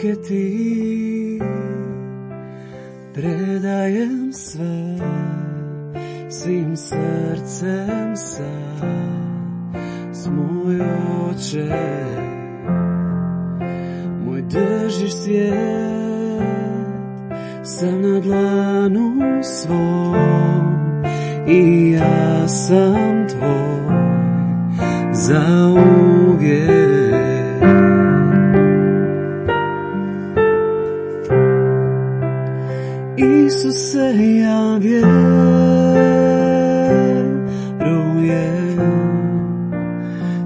ruke ti predajem sve, svim srcem sam, moj oče. Moj držiš svijet, sam na dlanu svom i ja sam tvoj zauvijek. Isuse, ja vjerujem,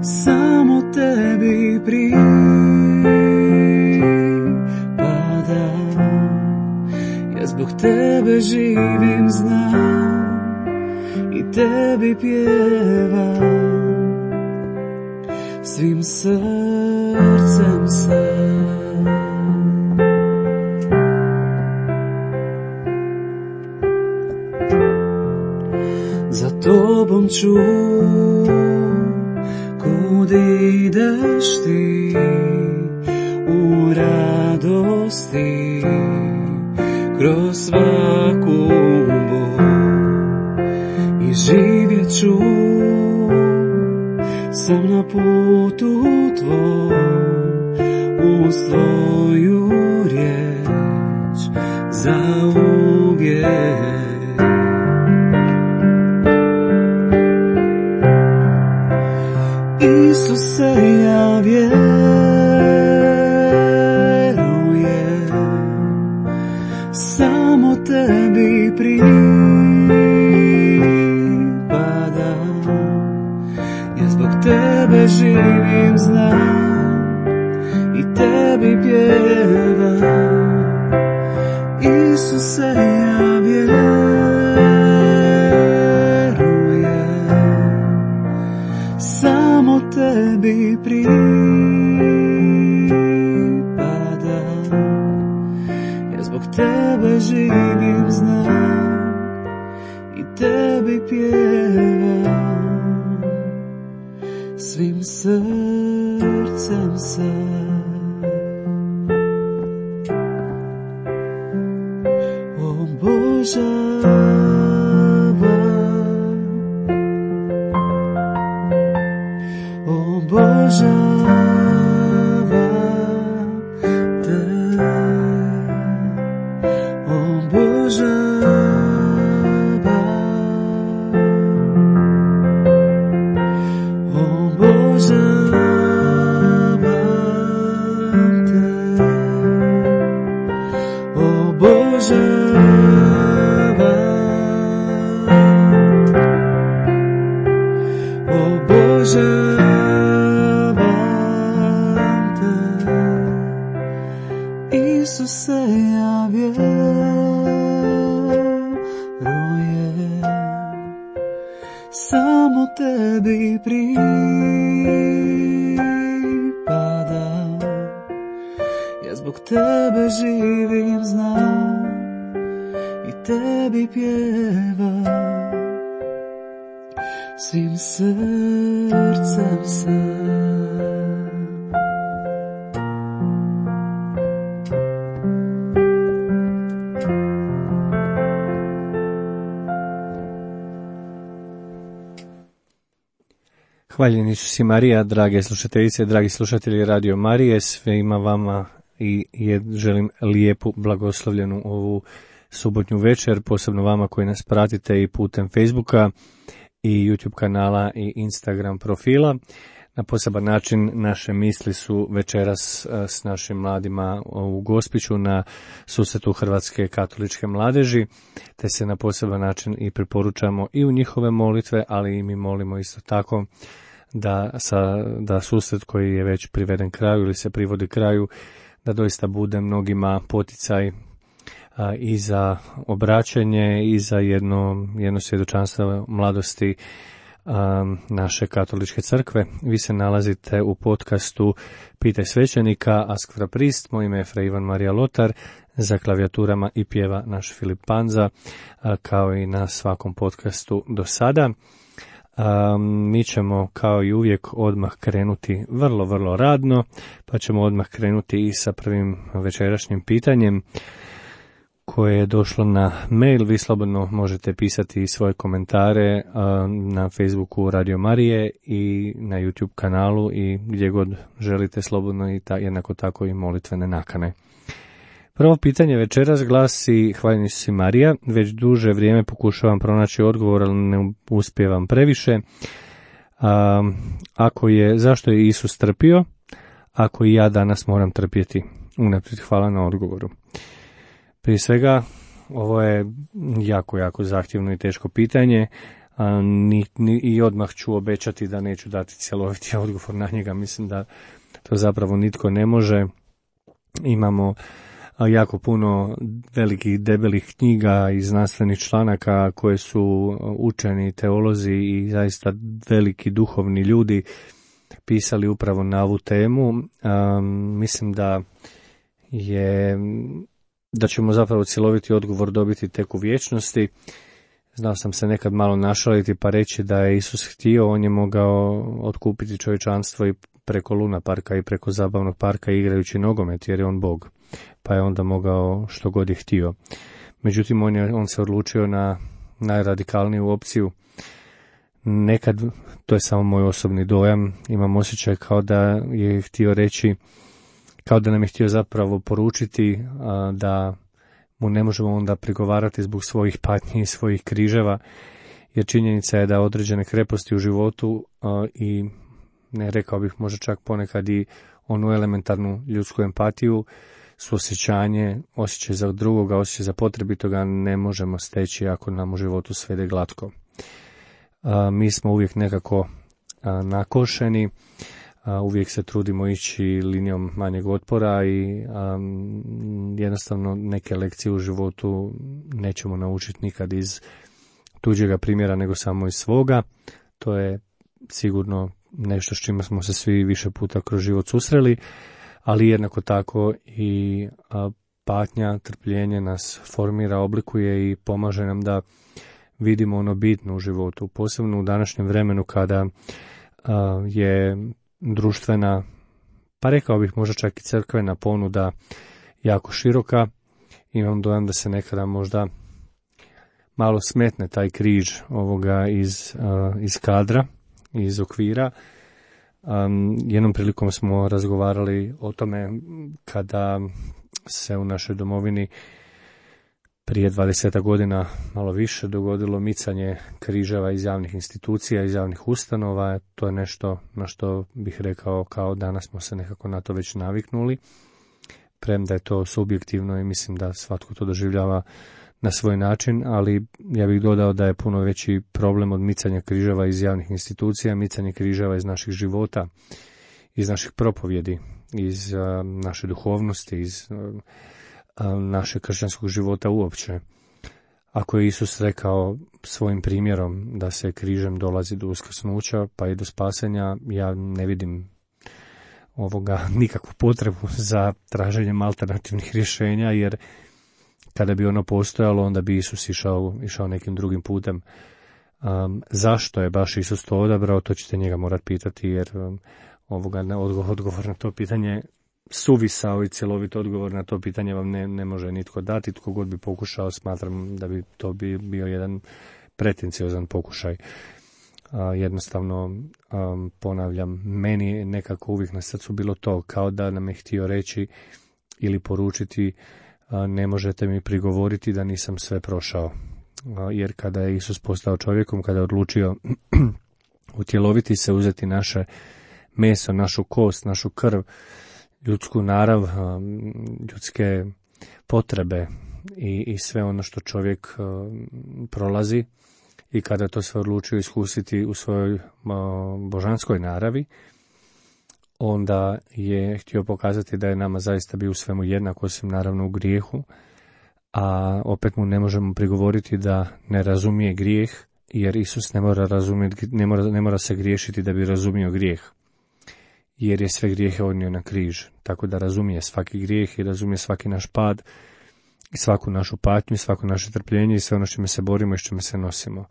samo tebi pripadam. Ja zbog tebe živim, znam i tebi pjevam, svim srcem sam. Za tobom ću, kud ideš ti, u radosti, kroz svaku bol. I živjet ću sam na putu tvoj, uz tvoju riječ zauvijek. Isuse, ja vjerujem, samo tebi pripadam. Ja zbog tebe živim, znam i tebi pjevam. Isuse, ja vjerujem, samo tebi pripadam. Ja zbog tebe živim, znam i tebi pjevam, svim srcem sam. Hvaljeni Isus i Marija, drage slušateljice, dragi slušatelji Radio Marije, svima vama i želim lijepu, blagoslovljenu ovu subotnju večer, posebno vama koji nas pratite i putem Facebooka i YouTube kanala i Instagram profila. Na poseban način naše misli su večeras s našim mladima u Gospiću na susretu Hrvatske katoličke mladeži, te se na poseban način i preporučamo i u njihove molitve, ali i mi molimo isto tako da susret koji je već priveden kraju ili se privodi kraju, da doista bude mnogima poticaj i za obraćanje i za jedno svjedočanstvo mladosti naše katoličke crkve. Vi se nalazite u podcastu Pitaj svećenika, Ask fra Prist. Moje ime je Fra Ivan Marija Lotar, za klavijaturama i pjeva naš Filip Panza, kao i na svakom podcastu do sada. Mi ćemo kao i uvijek odmah krenuti vrlo, vrlo radno, pa ćemo odmah krenuti i sa prvim večerašnjim pitanjem koje je došlo na mail. Vi slobodno možete pisati svoje komentare na Facebooku Radio Marije i na YouTube kanalu i gdje god želite slobodno i jednako tako i molitvene nakane. Prvo pitanje večeras glasi: hvaljeni si Marija, već duže vrijeme pokušavam pronaći odgovor, ali ne uspijevam previše. Zašto je Isus trpio, ako i ja danas moram trpjeti? Unaprijed hvala na odgovoru. Prije svega, ovo je jako, jako zahtjevno i teško pitanje i odmah ću obećati da neću dati cjeloviti odgovor na njega. Mislim da to zapravo nitko ne može. Imamo jako puno velikih, debelih knjiga i znanstvenih članaka koje su učeni teolozi i zaista veliki duhovni ljudi pisali upravo na ovu temu. Mislim da ćemo zapravo cjeloviti odgovor dobiti tek u vječnosti. Znao sam se nekad malo našaliti pa reći da je Isus htio, on je mogao otkupiti čovječanstvo i preko Luna parka i preko zabavnog parka igrajući nogomet, jer je on Bog, pa je onda mogao što god je htio. Međutim, on se odlučio na najradikalniju opciju. Nekad, to je samo moj osobni dojam, imam osjećaj kao da je htio reći, kao da nam je htio zapravo poručiti da mu ne možemo onda prigovarati zbog svojih patnji i svojih križeva, jer činjenica je da određene kreposti u životu i ne rekao bih možda čak ponekad i onu elementarnu ljudsku empatiju, osjećaj za drugoga, osjećaj za potrebitoga ne možemo steći ako nam u životu sve ide glatko. Mi smo uvijek nekako nakošeni, uvijek se trudimo ići linijom manjeg otpora i jednostavno neke lekcije u životu nećemo naučiti nikad iz tuđega primjera nego samo iz svoga. To je sigurno nešto s čime smo se svi više puta kroz život susreli, ali jednako tako i patnja, trpljenje nas formira, oblikuje i pomaže nam da vidimo ono bitno u životu, posebno u današnjem vremenu kada je društvena, pa rekao bih možda čak i crkvena ponuda jako široka. Imam dojam da se nekada možda malo smetne taj križ ovoga iz kadra, iz okvira. Jednom prilikom smo razgovarali o tome kada se u našoj domovini prije 20 godina malo više dogodilo micanje križeva iz javnih institucija, iz javnih ustanova. To je nešto na što bih rekao kao danas smo se nekako na to već naviknuli, premda je to subjektivno i mislim da svatko to doživljava na svoj način, ali ja bih dodao da je puno veći problem od micanja križeva iz javnih institucija, micanje križeva iz naših života, iz naših propovjedi, iz naše duhovnosti, iz našeg kršćanskog života uopće. Ako je Isus rekao svojim primjerom da se križem dolazi do uskrsnuća pa i do spasenja, ja ne vidim nikakvu potrebu za traženjem alternativnih rješenja, jer kada bi ono postojalo, onda bi Isus išao nekim drugim putem. Zašto je baš Isus to odabrao, to ćete njega morati pitati, jer odgovor na to pitanje, suvisao i cjelovit odgovor na to pitanje vam ne može nitko dati. Tko god bi pokušao, smatram da bi to bio jedan pretenciozan pokušaj. Jednostavno, ponavljam, meni nekako uvijek na srcu bilo to, kao da nam je htio reći ili poručiti: ne možete mi prigovoriti da nisam sve prošao. Jer kada je Isus postao čovjekom, kada je odlučio utjeloviti se, uzeti naše meso, našu kost, našu krv, ljudsku narav, ljudske potrebe i sve ono što čovjek prolazi, i kada to sve odlučio iskusiti u svojoj božanskoj naravi, onda je htio pokazati da je nama zaista bio u svemu jednak, osim naravno u grijehu, a opet mu ne možemo prigovoriti da ne razumije grijeh, jer Isus ne mora se griješiti da bi razumio grijeh, jer je sve grijehe odnio na križ, tako da razumije svaki grijeh i razumije svaki naš pad, i svaku našu patnju, svako naše trpljenje i sve ono s čime se borimo i s čime se nosimo.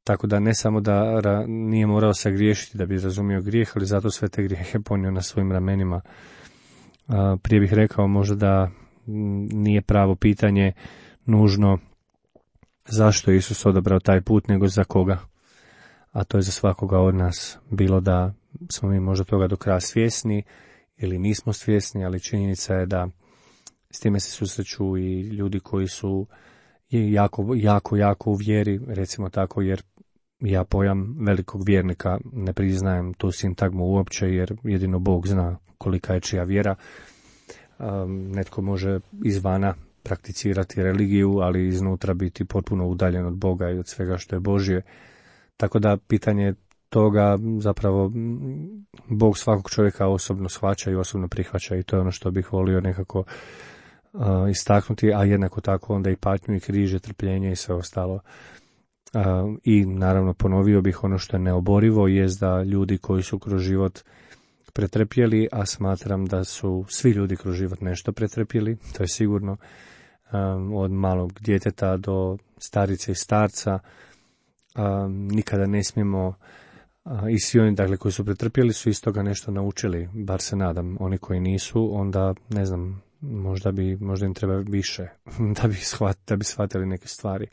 Tako da ne samo da nije morao sagriješiti da bi razumio grijeh, ali zato sve te grijehe ponio na svojim ramenima. Prije bih rekao možda da nije pravo pitanje nužno zašto je Isus odabrao taj put, nego za koga. A to je za svakoga od nas. Bilo da smo mi možda toga do kraja svjesni ili nismo svjesni, ali činjenica je da s time se susreću i ljudi koji su jako u vjeri, recimo tako, jer ja pojam velikog vjernika ne priznajem tu sintagmu uopće, jer jedino Bog zna kolika je čija vjera. Netko može izvana prakticirati religiju, ali iznutra biti potpuno udaljen od Boga i od svega što je Božje. Tako da pitanje toga zapravo Bog svakog čovjeka osobno shvaća i osobno prihvaća, i to je ono što bih volio nekako istaknuti, a jednako tako onda i patnju i križe, trpljenje i sve ostalo. I naravno ponovio bih ono što je neoborivo, jest da ljudi koji su kroz život pretrpjeli, a smatram da su svi ljudi kroz život nešto pretrpjeli, to je sigurno, od malog djeteta do starice i starca, nikada ne smijemo, i svi oni dakle koji su pretrpjeli su iz toga nešto naučili, bar se nadam. Oni koji nisu, onda ne znam, možda im treba više da bi shvatili neke stvari.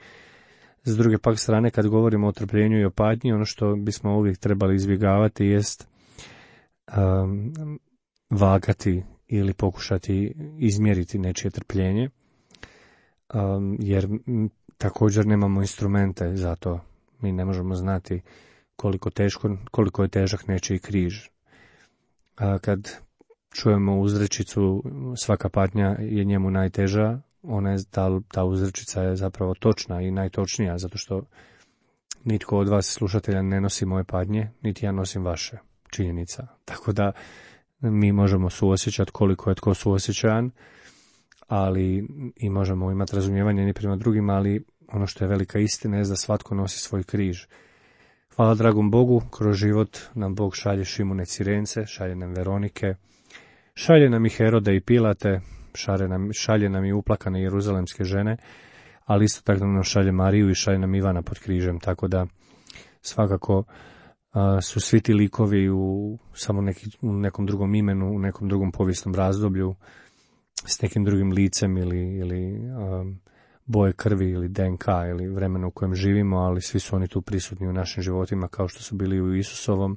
S druge pak strane, kad govorimo o trpljenju i o patnji, ono što bismo uvijek trebali izbjegavati jest vagati ili pokušati izmjeriti nečije trpljenje, jer također nemamo instrumente za to. Mi ne možemo znati koliko je težak nečiji križ. Kad čujemo uzrečicu svaka patnja je njemu najteža, ta uzrečica je zapravo točna i najtočnija, zato što nitko od vas slušatelja ne nosi moje patnje, niti ja nosim vaše, činjenica. Tako da mi možemo suosjećati koliko je tko suosjećajan, ali i možemo imati razumijevanje jedni prema drugima, ali ono što je velika istina je da svatko nosi svoj križ. Hvala dragom Bogu, kroz život nam Bog šalje Šimune Cirence, šalje nam Veronike, šalje nam i Herode i Pilate, šalje nam i uplakane jeruzalemske žene, ali isto tako nam šalje Mariju i šalje nam Ivana pod križem, tako da svakako su svi ti likovi u nekom drugom imenu, u nekom drugom povijesnom razdoblju, s nekim drugim licem ili boje krvi ili DNK ili vremenu u kojem živimo, ali svi su oni tu prisutni u našim životima kao što su bili u Isusovom,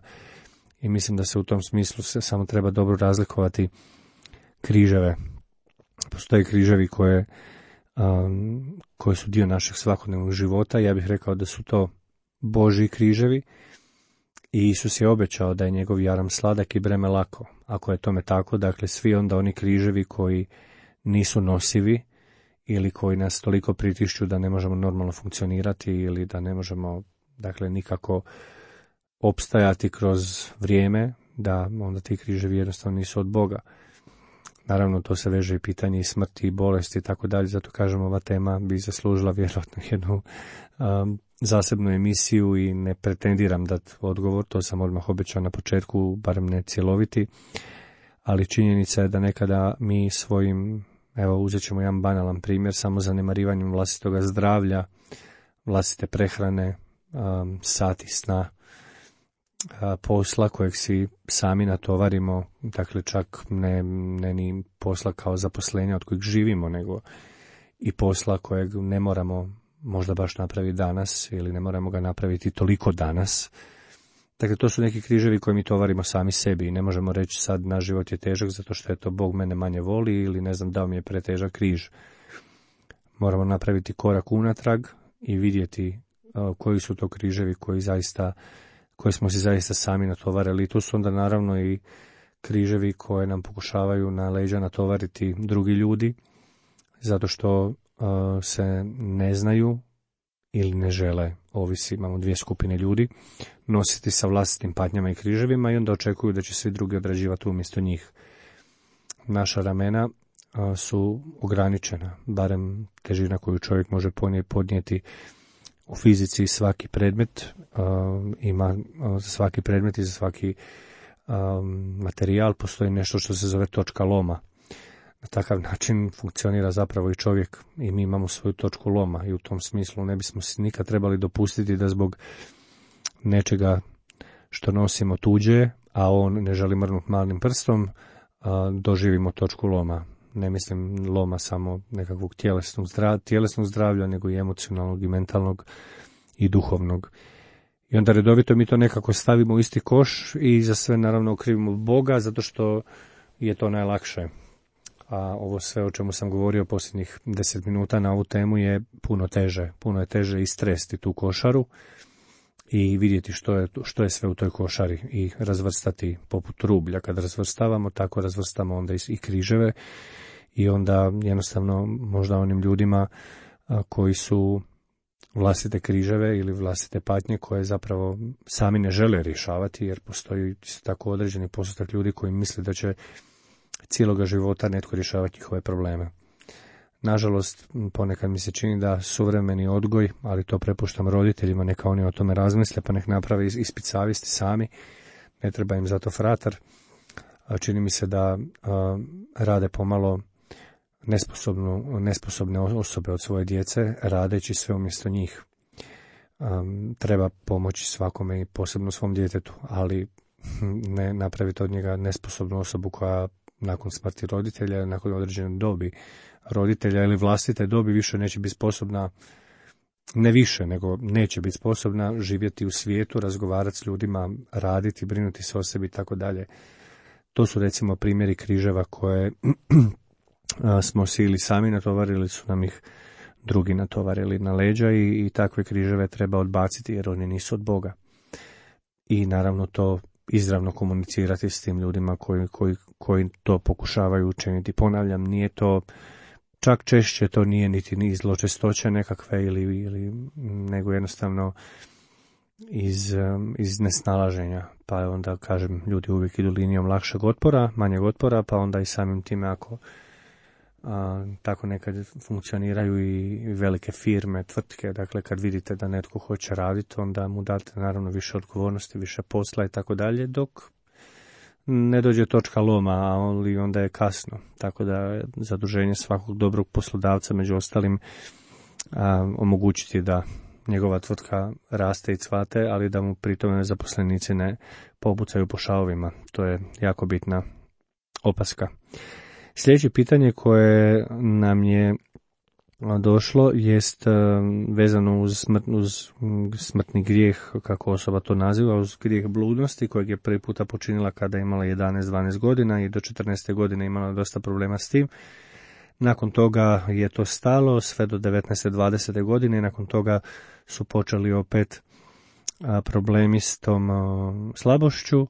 i mislim da se u tom smislu samo treba dobro razlikovati križeve. Postoje križevi koji su dio našeg svakodnevnog života. Ja bih rekao da su to Božji križevi i Isus je obećao da je njegov jaram sladak i breme lako. Ako je tome tako, dakle svi onda oni križevi koji nisu nosivi ili koji nas toliko pritišću da ne možemo normalno funkcionirati ili da ne možemo dakle nikako opstajati kroz vrijeme, da onda ti križevi jednostavno nisu od Boga. Naravno, to se veže i pitanje i smrti i bolesti i tako dalje, zato kažem ova tema bi zaslužila vjerojatno jednu zasebnu emisiju i ne pretendiram dati odgovor, to sam odmah obećao na početku, barem ne cjeloviti, ali činjenica je da nekada mi svojim, evo uzet ćemo jedan banalan primjer, samo zanemarivanjem vlastitoga zdravlja, vlastite prehrane, sati sna, posla kojeg si sami natovarimo, dakle čak ne ni posla kao zaposlenja od kojeg živimo, nego i posla kojeg ne moramo možda baš napraviti danas ili ne moramo ga napraviti toliko danas. Dakle, to su neki križevi koje mi tovarimo sami sebi i ne možemo reći sad naš život je težak zato što je to Bog mene manje voli ili ne znam dao mi je pretežak križ. Moramo napraviti korak unatrag i vidjeti koji su to križevi koje smo si zaista sami natovarili. I tu su onda naravno i križevi koje nam pokušavaju na leđa natovariti drugi ljudi, zato što se ne znaju ili ne žele, ovisi, imamo dvije skupine ljudi, nositi sa vlastitim patnjama i križevima i onda očekuju da će svi drugi odrađivati umjesto njih. Naša ramena su ograničena, barem težina koju čovjek može podnijeti. U fizici svaki predmet ima, za svaki predmet i za svaki materijal postoji nešto što se zove točka loma. Na takav način funkcionira zapravo i čovjek i mi imamo svoju točku loma i u tom smislu ne bismo si nikad trebali dopustiti da zbog nečega što nosimo tuđe, a on ne želi mrnuti malim prstom, doživimo točku loma. Ne mislim loma samo nekakvog tjelesnog zdravlja, nego i emocionalnog i mentalnog i duhovnog. I onda redovito mi to nekako stavimo u isti koš i za sve naravno okrivimo Boga, zato što je to najlakše. A ovo sve o čemu sam govorio posljednjih 10 minuta na ovu temu je puno teže. Puno je teže istresti tu košaru i vidjeti što je sve u toj košari i razvrstati poput rublja. Kad razvrstavamo, tako razvrstamo onda i križeve i onda jednostavno možda onim ljudima koji su vlastite križeve ili vlastite patnje koje zapravo sami ne žele rješavati, jer postoji isto tako određeni postotak ljudi koji misle da će cijeloga života netko rješavati njihove probleme. Nažalost, ponekad mi se čini da suvremeni odgoj, ali to prepuštam roditeljima, neka oni o tome razmisle, pa nek naprave ispit savjesti sami, ne treba im zato fratar. Čini mi se da rade pomalo nesposobne osobe od svoje djece, radeći sve umjesto njih. Treba pomoći svakome i posebno svom djetetu, ali ne napraviti od njega nesposobnu osobu koja nakon smrti roditelja, nakon određene dobi roditelja ili vlastite dobi više neće biti sposobna, ne više, nego neće biti sposobna živjeti u svijetu, razgovarati s ljudima, raditi, brinuti se o sebi i tako dalje. To su recimo primjeri križeva koje smo si ili sami natovarili, su nam ih drugi natovarili na leđa i takve križeve treba odbaciti jer oni nisu od Boga. I naravno to izravno komunicirati s tim ljudima koji to pokušavaju učiniti. Ponavljam, nije to, čak češće to nije niti ni zločestoće nekakve ili nego jednostavno iz nesnalaženja. Pa onda, kažem, ljudi uvijek idu linijom lakšeg otpora, manjeg otpora, pa onda i samim time ako tako nekad funkcioniraju i velike firme, tvrtke, dakle kad vidite da netko hoće raditi, onda mu date naravno više odgovornosti, više posla i tako dalje, dok ne dođe točka loma, ali onda je kasno. Tako da zaduženje svakog dobrog poslodavca, među ostalim, omogućiti da njegova tvrtka raste i cvate, ali da mu pritome zaposlenici ne pobucaju po šavovima. To je jako bitna opaska. Sljedeće pitanje koje nam je došlo jest vezano uz smrtni grijeh, kako osoba to naziva, uz grijeh bludnosti kojeg je prvi puta počinila kada je imala 11-12 godina i do 14. godine imala dosta problema s tim. Nakon toga je to stalo sve do 19-20. godine i nakon toga su počeli opet problemi s tom slabošću.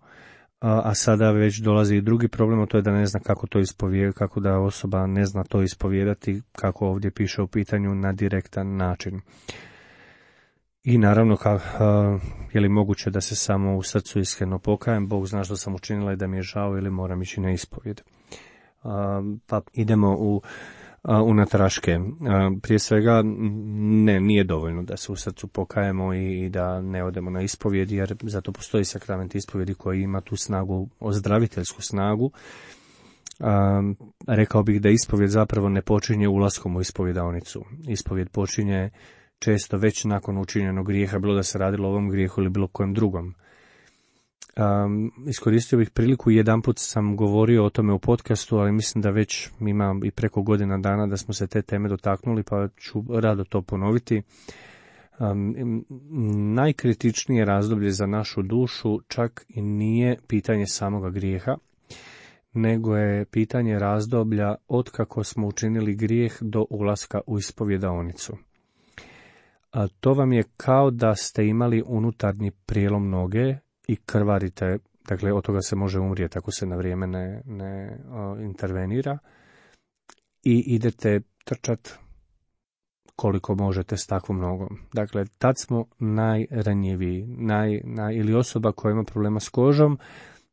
A sada već dolazi i drugi problem, to je da ne zna kako to ispovijedati, kako da osoba ne zna to ispovijedati, kako ovdje piše u pitanju, na direktan način. I naravno, je li moguće da se samo u srcu iskreno pokajem, Bog zna što sam učinila i da mi je žao, ili moram ići na ispovijed. Pa idemo unatraške. Prije svega, nije dovoljno da se u srcu pokajemo i da ne odemo na ispovjed, jer zato postoji sakrament ispovjedi koji ima tu snagu, ozdraviteljsku snagu. Rekao bih da ispovjed zapravo ne počinje ulaskom u ispovjedaonicu. Ispovjed počinje često već nakon učinjenog grijeha, bilo da se radilo o ovom grijehu ili bilo kojem drugom. Iskoristio bih priliku, jedanput sam govorio o tome u podcastu, ali mislim da već ima i preko godina dana da smo se te teme dotaknuli, pa ću rado to ponoviti. Najkritičnije razdoblje za našu dušu čak i nije pitanje samoga grijeha, nego je pitanje razdoblja od kako smo učinili grijeh do ulaska u ispovjedaonicu. To vam je kao da ste imali unutarnji prijelom noge i krvarite, dakle od toga se može umrijeti ako se na vrijeme ne intervenira, i idete trčat koliko možete s takvom nogom. Dakle, tad smo najranjiviji, ili osoba koja ima problema s kožom,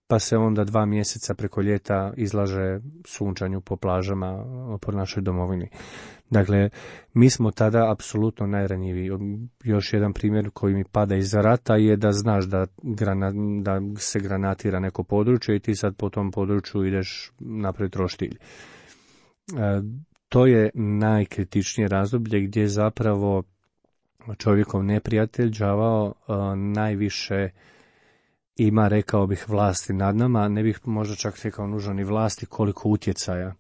pa se onda 2 mjeseca preko ljeta izlaže sunčanju po plažama po našoj domovini. Dakle, mi smo tada apsolutno najranjiviji. Još jedan primjer koji mi pada iz rata je da znaš da se granatira neko područje i ti sad po tom području ideš napraviti roštilj. to je najkritičnije razdoblje gdje zapravo čovjekov neprijatelj đavao najviše ima, rekao bih, vlasti nad nama, ne bih možda čak rekao nužno ni vlasti, koliko utjecaja.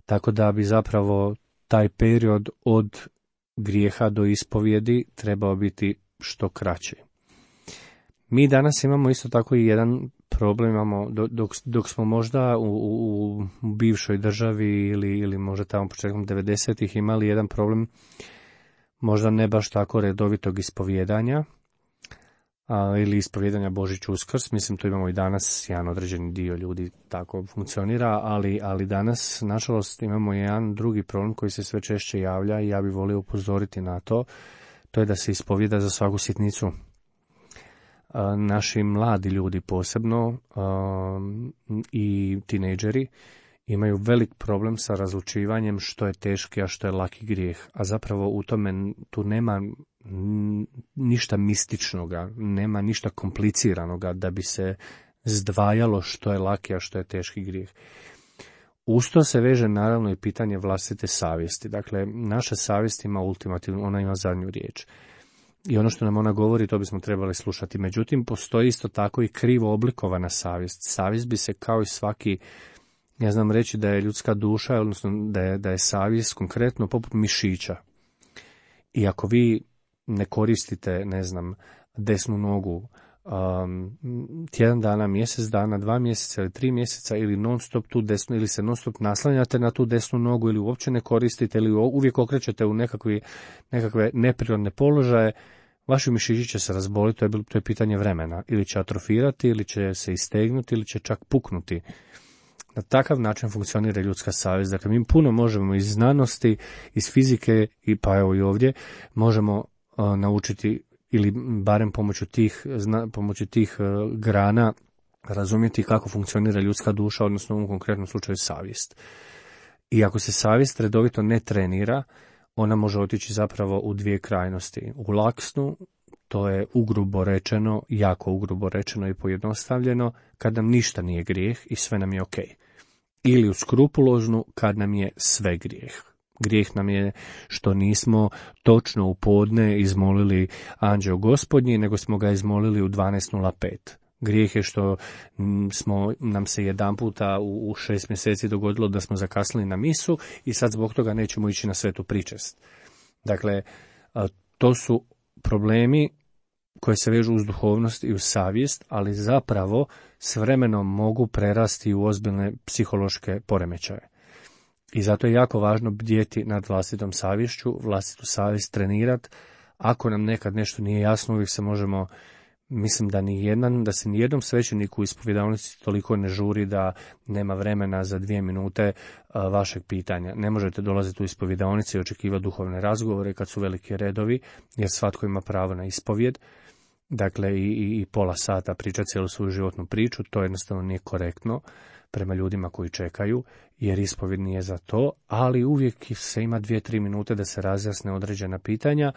Tako da bi zapravo taj period od grijeha do ispovjedi trebao biti što kraći. Mi danas imamo isto tako i jedan problem, imamo, dok smo možda u bivšoj državi ili možda tamo početkom 90-ih imali jedan problem, možda ne baš tako redovitog ispovjedanja, ili ispovjedanja Božić Uskrs, mislim tu imamo i danas jedan određeni dio ljudi tako funkcionira, ali danas nažalost imamo jedan drugi problem koji se sve češće javlja i ja bih volio upozoriti na to, to je da se ispovjeda za svaku sitnicu. Naši mladi ljudi posebno i tinejdžeri imaju velik problem sa razlučivanjem što je teški, a što je laki grijeh. A zapravo u tome tu nema ništa mističnoga, nema ništa kompliciranoga da bi se zdvajalo što je laki, a što je teški grijeh. Uz to se veže naravno i pitanje vlastite savjesti. Dakle, naša savjest ima ultimativno, ona ima zadnju riječ. I ono što nam ona govori, to bismo trebali slušati. Međutim, postoji isto tako i krivo oblikovana savjest. Savjest bi se kao i svaki, ja znam reći da je ljudska duša, odnosno da je savjest konkretno poput mišića. I ako vi ne koristite, ne znam, desnu nogu tjedan dana, mjesec dana, 2 mjeseca ili 3 mjeseca ili non stop tu desnu, ili se non stop naslanjate na tu desnu nogu ili uopće ne koristite ili uvijek okrećete u nekakve neprirodne položaje, vaši mišići će se razboliti, to je pitanje vremena. Ili će atrofirati, ili će se istegnuti, ili će čak puknuti. Na takav način funkcionira ljudska savjest. Dakle, mi puno možemo iz znanosti, iz fizike i pa evo i ovdje možemo naučiti ili barem pomoću tih grana razumjeti kako funkcionira ljudska duša, odnosno u ovom konkretnom slučaju savjest. I ako se savjest redovito ne trenira, ona može otići zapravo u dvije krajnosti. U laksnu, to je ugrubo rečeno, jako ugrubo rečeno i pojednostavljeno, kad nam ništa nije grijeh i sve nam je ok. Ili u skrupuloznu, kad nam je sve grijeh. Grijeh nam je što nismo točno u podne izmolili anđeo gospodnji, nego smo ga izmolili u 12:05. Grijeh je što nam se jedan puta u 6 mjeseci dogodilo da smo zakasnili na misu i sad zbog toga nećemo ići na svetu pričest. Dakle, to su problemi koji se vežu uz duhovnost i uz savjest, ali zapravo s vremenom mogu prerasti u ozbiljne psihološke poremećaje. I zato je jako važno bdjeti nad vlastitom savješću, vlastitu savjest trenirati. Ako nam nekad nešto nije jasno, uvijek se možemo, mislim da se nijednom svećeniku u ispovjedalnici toliko ne žuri da nema vremena za 2 minute vašeg pitanja. Ne možete dolaziti u ispovjedalnici i očekivati duhovne razgovore kad su veliki redovi, jer svatko ima pravo na ispovjed. Dakle, i pola sata pričati cijelu svoju životnu priču, to jednostavno nije korektno prema ljudima koji čekaju, jer ispovjed nije za to, ali uvijek se ima 2-3 minute da se razjasne određena pitanja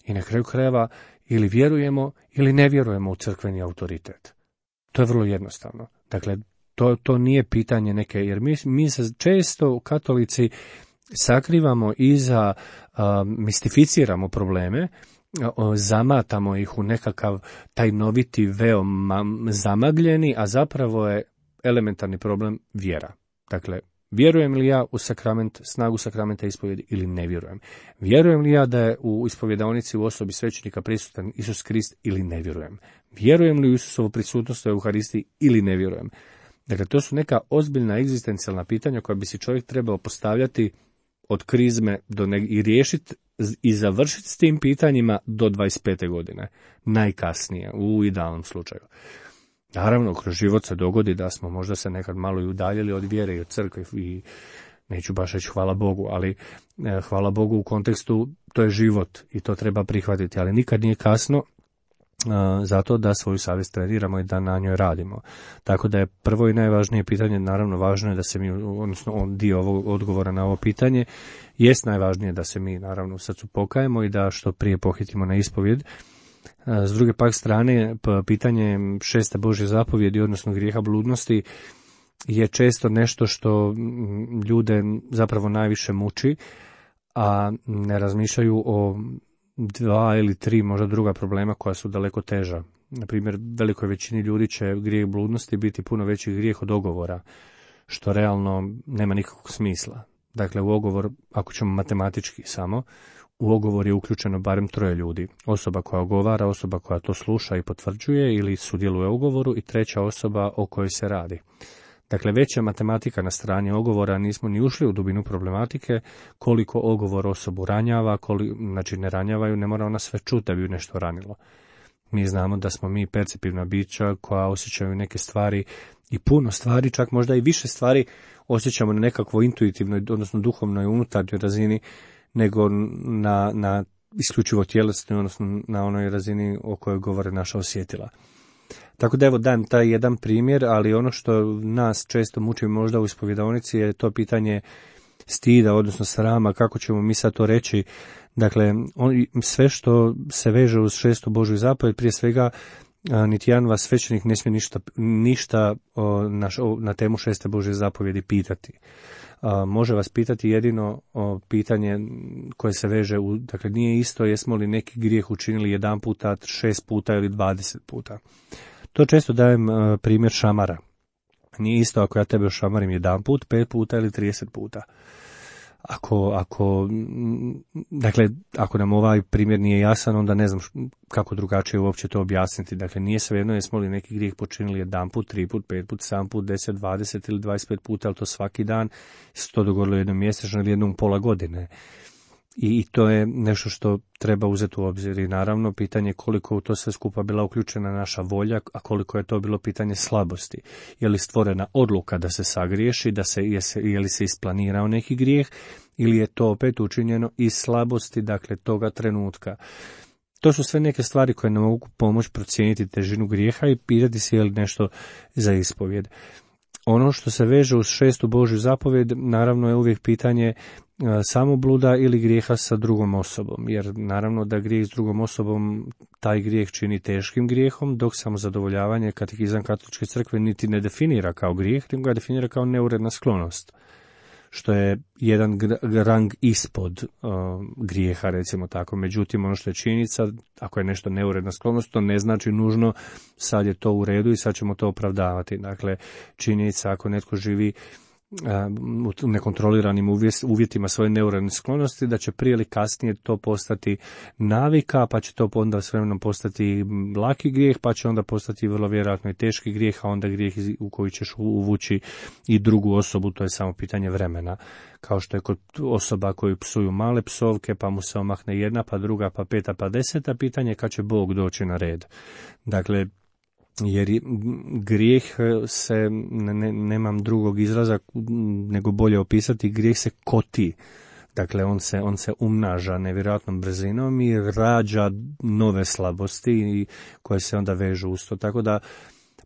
i na kraju krajeva ili vjerujemo ili ne vjerujemo u crkveni autoritet. To je vrlo jednostavno. Dakle, to nije pitanje neke, jer mi se često katolici sakrivamo iza, mistificiramo probleme, zamatamo ih u nekakav tajnoviti veo zamagljeni, a zapravo je elementarni problem vjera. Dakle, vjerujem li ja u sakrament, snagu sakramenta ispovjedi ili ne vjerujem? Vjerujem li ja da je u ispovjedaonici u osobi svećenika prisutan Isus Krist ili ne vjerujem? Vjerujem li u Isusovu prisutnost u Euharistiji ili ne vjerujem? Dakle, to su neka ozbiljna egzistencijalna pitanja koja bi si čovjek trebao postavljati od krizme i riješiti i završiti s tim pitanjima do 25. godine. Najkasnije, u idealnom slučaju. Naravno, kroz život se dogodi da smo možda se nekad malo i udaljili od vjere i od crkve i neću baš reći hvala Bogu, ali hvala Bogu u kontekstu to je život i to treba prihvatiti, ali nikad nije kasno zato da svoju savjest treniramo i da na njoj radimo. Tako da je prvo i najvažnije pitanje, naravno važno je da se mi, odnosno dio ovog odgovora na ovo pitanje, jest najvažnije da se mi naravno u srcu pokajemo i da što prije pohitimo na ispovjed. S druge pak strane, pitanje 6. Božje zapovjedi, odnosno grijeha bludnosti, je često nešto što ljude zapravo najviše muči, a ne razmišljaju o 2 ili 3 možda druga problema koja su daleko teža. Na primjer, velikoj većini ljudi će grijeh bludnosti biti puno veći grijeh od ogovora, što realno nema nikakvog smisla. Dakle, u ogovor, ako ćemo matematički samo, u ogovor je uključeno barem 3 ljudi. Osoba koja ogovara, osoba koja to sluša i potvrđuje ili sudjeluje u ugovoru i 3. osoba o kojoj se radi. Dakle, veća matematika na strani ogovora, nismo ni ušli u dubinu problematike, koliko ogovor osobu ranjava, znači ne ranjavaju, ne mora ona sve čuti da bi ju nešto ranilo. Mi znamo da smo mi perceptivna bića koja osjećaju neke stvari i puno stvari, čak možda i više stvari osjećamo na nekakvoj intuitivnoj, odnosno duhovnoj unutarnjoj razini, nego na isključivo tjelesnoj, odnosno na onoj razini o kojoj govore naša osjetila. Tako da evo dajem taj jedan primjer, ali ono što nas često muči možda u ispovjedaonici je to pitanje stida, odnosno srama, kako ćemo mi sad to reći. Dakle, sve što se veže uz 6. Božju zapovjed, prije svega niti jedan vas svećenik ne smije ništa na temu 6. Božje zapovjedi pitati. Može vas pitati jedino pitanje koje se veže dakle nije isto jesmo li neki grijeh učinili 1 puta, 6 puta ili 20 puta. To često dajem primjer šamara. Nije isto ako ja tebe ošamarim 1 put, 5 puta ili 30 puta. Ako nam ovaj primjer nije jasan, onda ne znam kako drugačije uopće to objasniti. Dakle, nije svejedno jesmo li neki grijeh počinili 1 put, 3 put, 5 put, 7 put, 10, 20 ili 25 puta, ali to svaki dan, se to dogodilo jednom mjesečno ili jednom pola godine. I to je nešto što treba uzeti u obzir. I naravno, pitanje koliko u to sve skupa bila uključena naša volja, a koliko je to bilo pitanje slabosti. Je li stvorena odluka da se sagriješi, je li se isplanirao neki grijeh, ili je to opet učinjeno iz slabosti, dakle, toga trenutka. To su sve neke stvari koje nam mogu pomoći procijeniti težinu grijeha i pitati se je li nešto za ispovjed. Ono što se veže uz 6. Božju zapovjed, naravno je uvijek pitanje samobluda ili grijeha sa drugom osobom, jer naravno da grijeh s drugom osobom taj grijeh čini teškim grijehom, dok samozadovoljavanje katekizam Katoličke crkve niti ne definira kao grijeh, nego ga definira kao neuredna sklonost, što je jedan rang ispod grijeha, recimo tako. Međutim, ono što je činjenica, ako je nešto neuredna sklonost, to ne znači nužno sad je to u redu i sad ćemo to opravdavati. Dakle, činjenica ako netko živi u nekontroliranim uvjetima svoje neuredne sklonosti, da će prije ili kasnije to postati navika, pa će to onda s vremenom postati laki grijeh, pa će onda postati vrlo vjerojatno i teški grijeh, a onda grijeh u koji ćeš uvući i drugu osobu, to je samo pitanje vremena. Kao što je kod osoba koji psuju male psovke, pa mu se omahne 1, pa 2, pa 5, pa 10, pitanje je kad će Bog doći na red. Dakle, jer grijeh se, nemam drugog izraza nego bolje opisati, grijeh se koti. Dakle, on se umnaža nevjerojatnom brzinom i rađa nove slabosti koje se onda vežu uz to. Tako da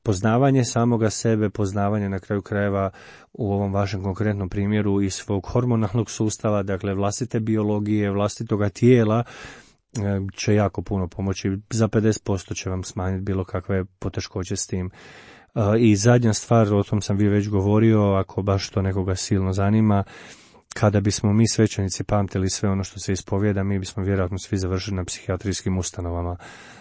poznavanje samoga sebe, poznavanje na kraju krajeva u ovom vašem konkretnom primjeru i svog hormonalnog sustava, dakle vlastite biologije, vlastitoga tijela, će jako puno pomoći. Za 50% će vam smanjiti bilo kakve poteškoće s tim. I zadnja stvar, o tom sam vi već govorio, ako baš to nekoga silno zanima, kada bismo mi svećenici pamtili sve ono što se ispovijeda, mi bismo vjerojatno svi završili na psihijatrijskim ustanovama.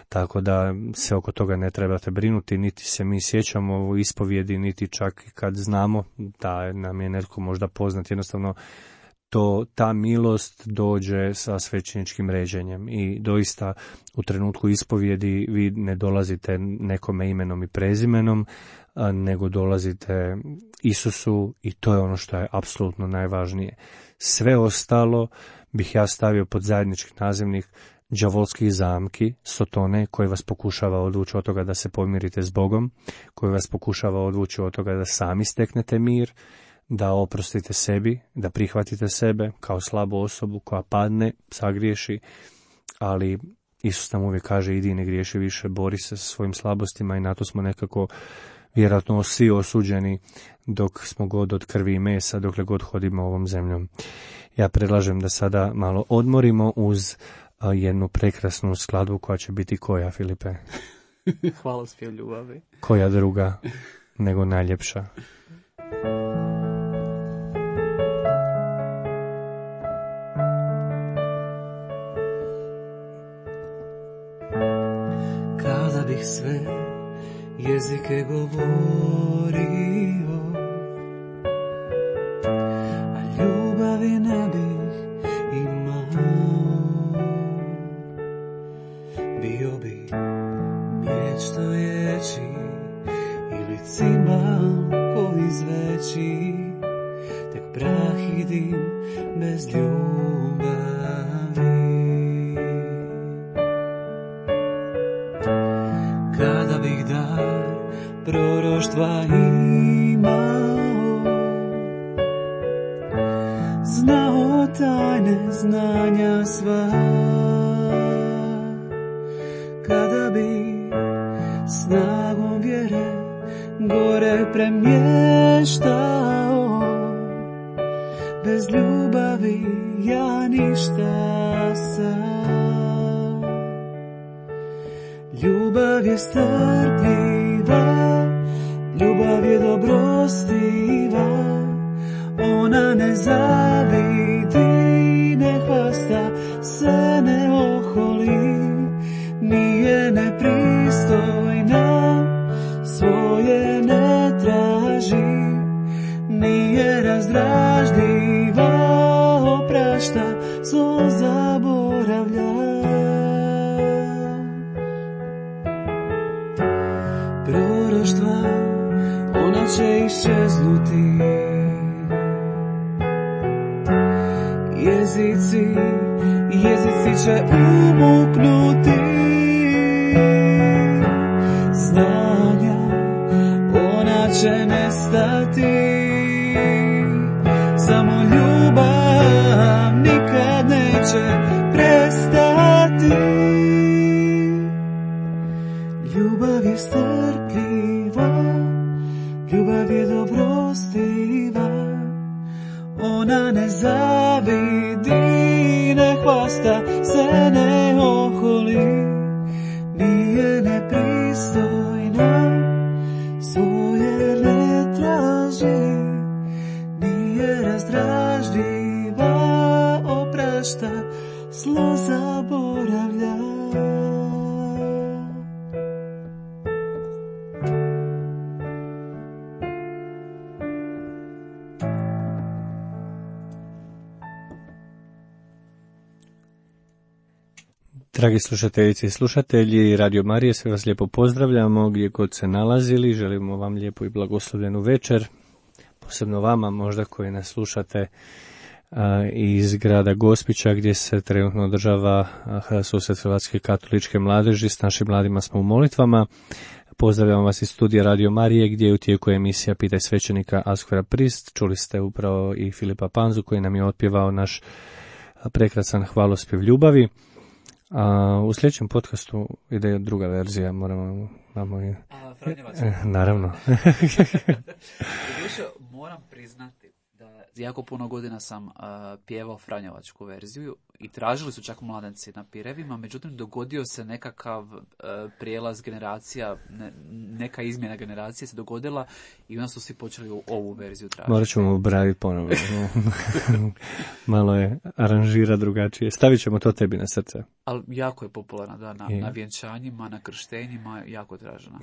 Tako da se oko toga ne trebate brinuti, niti se mi sjećamo u ispovijedi, niti čak kad znamo da nam je netko možda poznat, jednostavno ta milost dođe sa svećeničkim ređenjem i doista u trenutku ispovjedi vi ne dolazite nekome imenom i prezimenom, nego dolazite Isusu i to je ono što je apsolutno najvažnije. Sve ostalo bih ja stavio pod zajednički nazivnik đavolskih zamki, sotone, koji vas pokušava odvući od toga da se pomirite s Bogom, koji vas pokušava odvući od toga da sami steknete mir, da oprostite sebi, da prihvatite sebe kao slabu osobu koja padne, sagriješi, ali Isus nam uvijek kaže idi ne griješi više, bori se sa svojim slabostima i na to smo nekako vjerojatno svi osuđeni dok smo god od krvi i mesa, dokle god hodimo ovom zemljom. Ja predlažem da sada malo odmorimo uz jednu prekrasnu skladbu koja će biti koja, Filipe? Hvalospjev ljubavi. Koja druga nego najljepša? Kada bih sve jezike govorio, a ljubavi ne bih imao, bio bi miječ stojeći ili cimbal koji zveči, tek prah i dim bez ljubavi. Kada bih dar proroštva imao, znao tajne znanja sva, kada bi snagom vjere gore premještao, bez ljubavi ja ništa sam. Ljubav je strpljiva, ljubav je dobrostiva, ona ne zavidi, ne hvasta se, ne oholi, nije nepristojna, svoje ne traži, nije razdražljiva, oprašta, zlo zaboravlja. Proroštva, ona će iščeznuti, jezici će umuknuti, znanja ona će nestati, samo ljubav nikad neće prestati. Ljubav je strpljiva, ljubav je dobrostiva, ona ne zavidi, ne hvasta se, ne oholi, nije nepristojna, svoje ne traži, nije razdražljiva, oprašta, zlo zaboravlja. Dragi slušateljice i slušatelji Radio Marije, sve vas lijepo pozdravljamo gdje god se nalazili. Želimo vam lijepu i blagoslovljenu večer, posebno vama možda koji nas slušate iz grada Gospića gdje se trenutno održava susret Hrvatske katoličke mladeži. S našim mladima smo u molitvama. Pozdravljamo vas iz studija Radio Marije gdje je u tijeku emisija Pitaj svećenika Askvera Prist. Čuli ste upravo i Filipa Panzu koji nam je otpjevao naš prekrasan hvalospjev ljubavi. U sljedećem podcastu ide druga verzija, moramo i... naravno. Moram priznati da jako puno godina sam pjevao franjevačku verziju i tražili su čak mladenci na pirevima, međutim dogodio se nekakav prijelaz generacija, neka izmjena generacije se dogodila i onda su svi počeli ovu verziju tražiti. Morat ćemo obraditi ponovo. Malo je aranžira drugačije. Stavit ćemo to tebi na srce. Ali jako je popularna, da, na vjenčanjima, na krštenjima, jako tražena.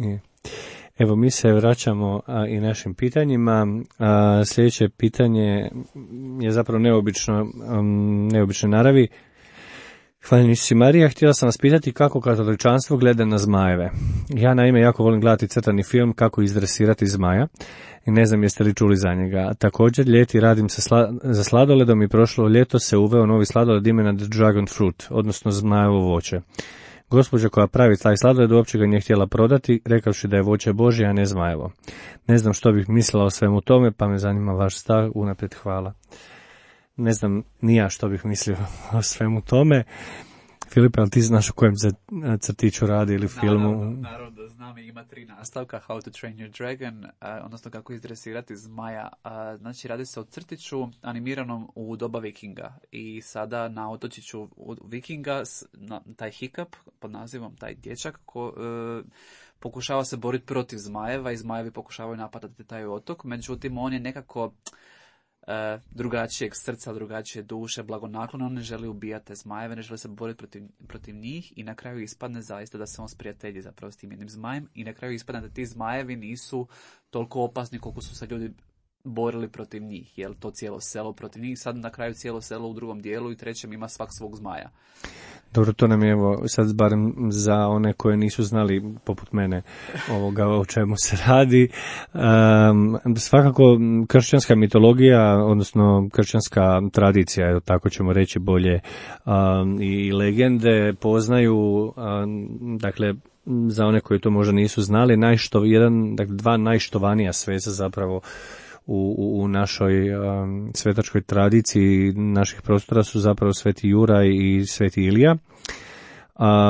Evo, mi se vraćamo i našim pitanjima. Sljedeće pitanje je zapravo neobične naravi. Hvaljeni Isus Marija, htjela sam vas pitati kako katoličanstvo gleda na zmajeve. Ja naime jako volim gledati crtani film Kako izdresirati zmaja i ne znam jeste li čuli za njega. Također ljeti radim za sladoledom i prošlo ljeto se uveo novi sladoled imena The Dragon Fruit, odnosno zmajevo voće. Gospođa koja pravi taj sladoled uopće ga nije htjela prodati, rekavši da je voće Božje, a ne zmajevo. Ne znam što bih mislila o svemu tome, pa me zanima vaš stav, unaprijed hvala. Ne znam ni ja što bih mislio o svemu tome. Filipe, ali ti znaš o kojem se crtiću radi ili filmu? Naravno da znam, ima 3 nastavka, How to Train Your Dragon, odnosno kako izdresirati zmaja. Znači, radi se o crtiću animiranom u doba Vikinga i sada na otočiću Vikinga taj Hiccup, pod nazivom taj dječak, pokušava se boriti protiv zmajeva i zmajevi pokušavaju napadati taj otok, međutim on je nekako drugačijeg srca, drugačije duše, blagonaklon, on ne želi ubijati te zmajeve, ne želi se boriti protiv njih i na kraju ispadne zaista da se on sprijatelji zapravo s tim jednim zmajem i na kraju ispadne da ti zmajevi nisu toliko opasni koliko su se ljudi borili protiv njih, jel to cijelo selo protiv njih, sad na kraju cijelo selo u drugom dijelu i trećem ima svak svog zmaja. Dobro, to nam je evo sad barem za one koje nisu znali poput mene o čemu se radi. Svakako kršćanska mitologija, odnosno kršćanska tradicija, tako ćemo reći bolje, i legende poznaju, dakle za one koji to možda nisu znali, dva najštovanija sveza zapravo u našoj svetačkoj tradiciji naših prostora su zapravo Sveti Juraj i Sveti Ilija.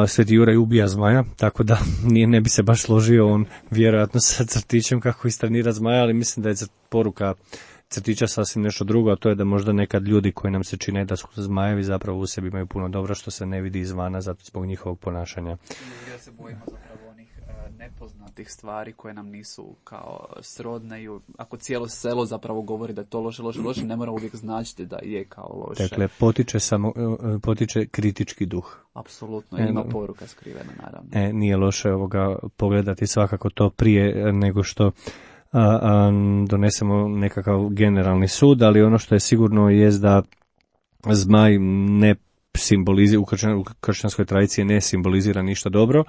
Sveti Juraj ubija zmaja, tako da ne bi se baš složio on vjerojatno sa crtićem kako istrenira zmaja, ali mislim da je poruka crtića sasvim nešto drugo, a to je da možda nekad ljudi koji nam se čine da su zmajevi zapravo u sebi imaju puno dobra što se ne vidi izvana zato zbog njihovog ponašanja. Ja se bojimo zapravo onih nepoznatih stvari koje nam nisu kao srodne i ako cijelo selo zapravo govori da je to loše, ne mora uvijek značiti da je kao loše. Dakle, potiče kritički duh. Apsolutno, ima poruka skrivena naravno. Nije loše pogledati svakako to prije nego što donesemo nekakav generalni sud, ali ono što je sigurno jest da zmaj ne simbolizira, u kršćanskoj tradiciji ne simbolizira ništa dobro.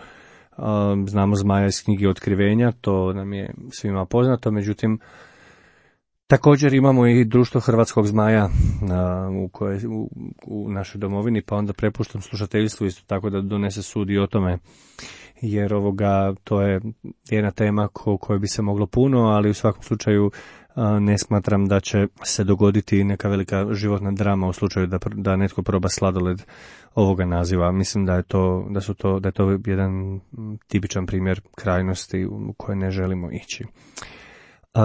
Znamo zmaja iz knjige Otkrivenja, to nam je svima poznato, međutim također imamo i društvo hrvatskog zmaja u našoj domovini, pa onda prepuštam slušateljstvu isto tako da donese sud i o tome, jer to je jedna tema kojoj bi se moglo puno, ali u svakom slučaju ne smatram da će se dogoditi neka velika životna drama u slučaju da netko proba sladoled ovoga naziva. Mislim da je to jedan tipičan primjer krajnosti u koje ne želimo ići.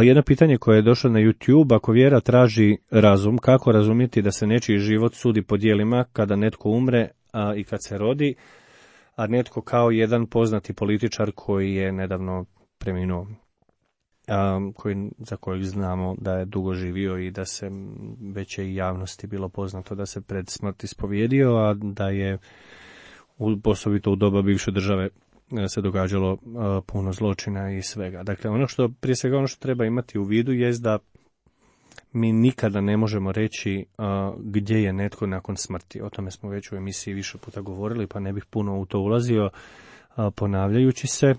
Jedno pitanje koje je došlo na YouTube, ako vjera traži razum, kako razumjeti da se nečiji život sudi po dijelima kada netko umre i kad se rodi, a netko kao jedan poznati političar koji je nedavno preminuo, za kojeg znamo da je dugo živio i da se već je i javnosti bilo poznato da se pred smrt ispovjedio, a da je osobito u doba bivše države se događalo puno zločina i svega. Dakle, prije svega ono što treba imati u vidu jest da mi nikada ne možemo reći gdje je netko nakon smrti. O tome smo već u emisiji više puta govorili, pa ne bih puno u to ulazio ponavljajući se.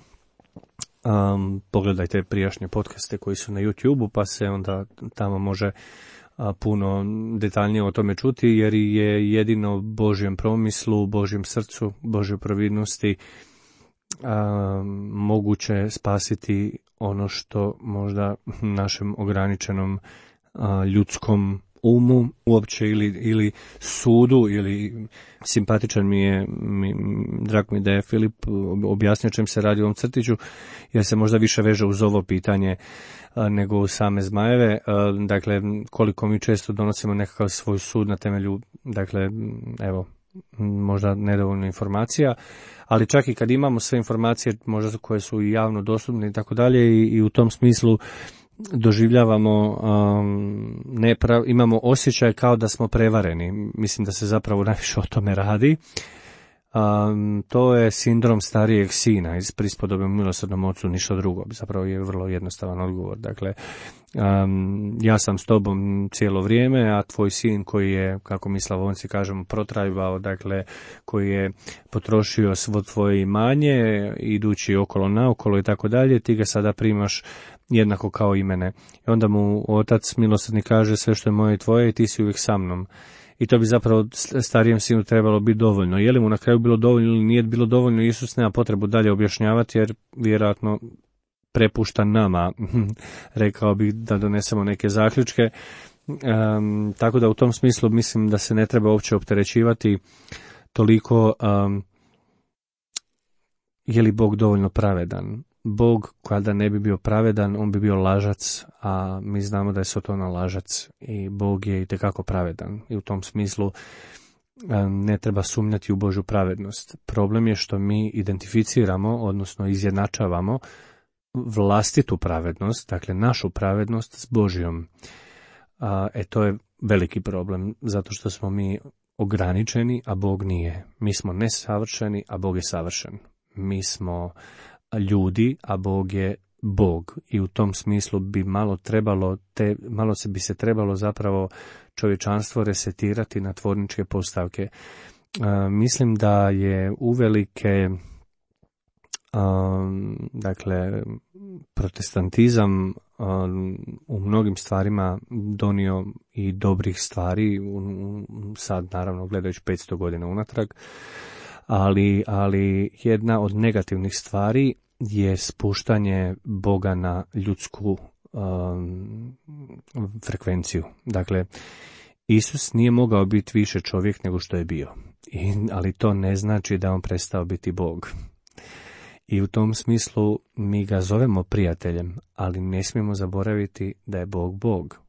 Pogledajte prijašnje podcaste koji su na YouTube-u, pa se onda tamo može puno detaljnije o tome čuti, jer je jedino Božjem promislu, Božjem srcu, Božjoj providnosti moguće spasiti ono što možda našem ograničenom ljudskom umu uopće ili sudu ili simpatičan drago mi da je Filip objasnio čem se radi u ovom crtiću, jer se možda više veže uz ovo pitanje nego u same zmajeve. Dakle, koliko mi često donosimo nekakav svoj sud na temelju, dakle, evo, možda nedovoljno informacija, ali čak i kad imamo sve informacije možda koje su i javno dostupne i tako dalje, i u tom smislu doživljavamo, imamo osjećaj kao da smo prevareni. Mislim da se zapravo najviše o tome radi. To je sindrom starijeg sina iz Prispodobe milosrdnom ocu, ništa drugo. Zapravo je vrlo jednostavan odgovor. Dakle, ja sam s tobom cijelo vrijeme, a tvoj sin koji je, kako mi Slavonci kažemo, protrajbao, dakle, koji je potrošio svo tvoje imanje, idući okolo naokolo i tako dalje, ti ga sada primaš jednako kao i mene. I onda mu otac milosrdni kaže, sve što je moje i tvoje i ti si uvijek sa mnom. I to bi zapravo starijem sinu trebalo biti dovoljno. Je li mu na kraju bilo dovoljno ili nije bilo dovoljno, Isus nema potrebu dalje objašnjavati, jer vjerojatno prepušta nama, rekao bih, da donesemo neke zaključke. Tako da u tom smislu mislim da se ne treba uopće opterećivati toliko je li Bog dovoljno pravedan. Bog, kada ne bi bio pravedan, on bi bio lažac, a mi znamo da je Sotona lažac i Bog je itekako pravedan. I u tom smislu ne treba sumnjati u Božju pravednost. Problem je što mi identificiramo, odnosno izjednačavamo vlastitu pravednost, dakle našu pravednost s Božjom. To je veliki problem, zato što smo mi ograničeni, a Bog nije. Mi smo nesavršeni, a Bog je savršen. Mi smo ljudi, a Bog je Bog. I u tom smislu bi bi se trebalo zapravo čovječanstvo resetirati na tvorničke postavke. Mislim da je uvelike dakle protestantizam u mnogim stvarima donio i dobrih stvari, sad naravno gledajući 500 godina unatrag, ali jedna od negativnih stvari je spuštanje Boga na ljudsku frekvenciju. Dakle, Isus nije mogao biti više čovjek nego što je bio, ali to ne znači da on prestao biti Bog. I u tom smislu mi ga zovemo prijateljem, ali ne smijemo zaboraviti da je Bog Bog.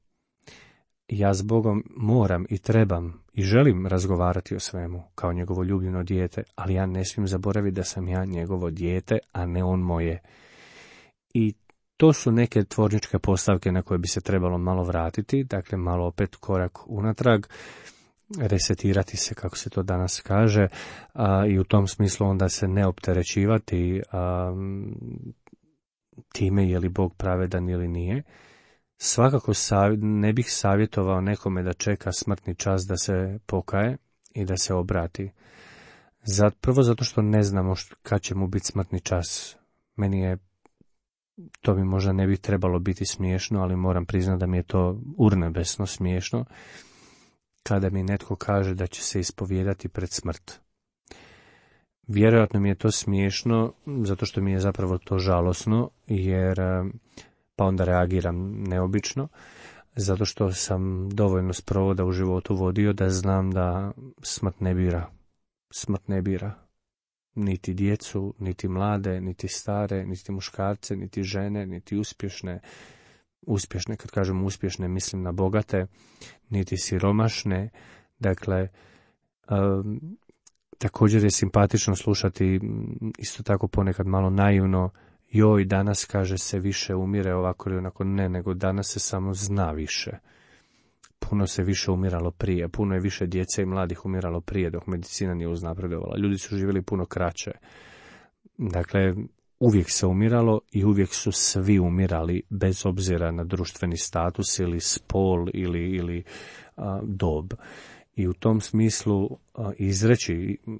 Ja s Bogom moram i trebam i želim razgovarati o svemu kao njegovo ljubljeno dijete, ali ja ne smijem zaboraviti da sam ja njegovo dijete, a ne on moje. I to su neke tvorničke postavke na koje bi se trebalo malo vratiti, dakle malo opet korak unatrag, resetirati se, kako se to danas kaže, i u tom smislu onda se ne opterećivati time je li Bog pravedan ili nije. Svakako ne bih savjetovao nekome da čeka smrtni čas da se pokaje i da se obrati. Prvo zato što ne znamo kad će mu biti smrtni čas. To mi možda ne bi trebalo biti smiješno, ali moram priznati da mi je to urnebesno smiješno kada mi netko kaže da će se ispovijedati pred smrt. Vjerojatno mi je to smiješno, zato što mi je zapravo to žalosno, jer pa onda reagiram neobično, zato što sam dovoljno sprovoda u životu vodio da znam da smrt ne bira. Smrt ne bira niti djecu, niti mlade, niti stare, niti muškarce, niti žene, niti uspješne. Uspješne, kad kažem uspješne, mislim na bogate, niti siromašne. Dakle, također je simpatično slušati, isto tako ponekad malo naivno, joj, danas kaže se više umire ovako ili onako. Ne, nego danas se samo zna više. Puno se više umiralo prije, puno je više djece i mladih umiralo prije dok medicina nije uznapredovala. Ljudi su živjeli puno kraće. Dakle, uvijek se umiralo i uvijek su svi umirali bez obzira na društveni status ili spol ili dob. I u tom smislu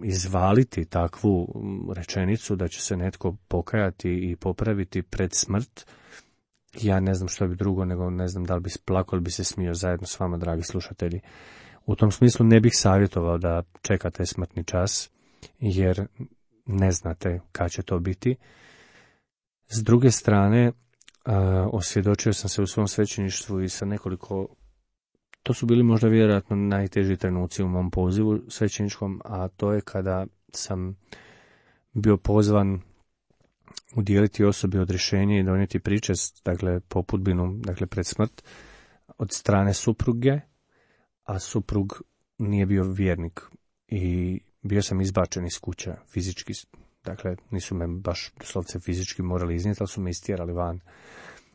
izvaliti takvu rečenicu da će se netko pokajati i popraviti pred smrt, ja ne znam što bi drugo, nego ne znam da li bi plakao ili bi se smio zajedno s vama, dragi slušatelji. U tom smislu ne bih savjetovao da čekate smrtni čas, jer ne znate kad će to biti. S druge strane, osvjedočio sam se u svom svećeništvu i sa nekoliko, to su bili možda vjerojatno najteži trenuci u mom pozivu svećeničkom, a to je kada sam bio pozvan udijeliti osobi odrješenje i donijeti pričest, dakle popudbinu, dakle pred smrt, od strane supruge, a suprug nije bio vjernik i bio sam izbačen iz kuće fizički. Dakle, nisu me baš doslovce fizički morali iznijeti, ali su me istjerali van.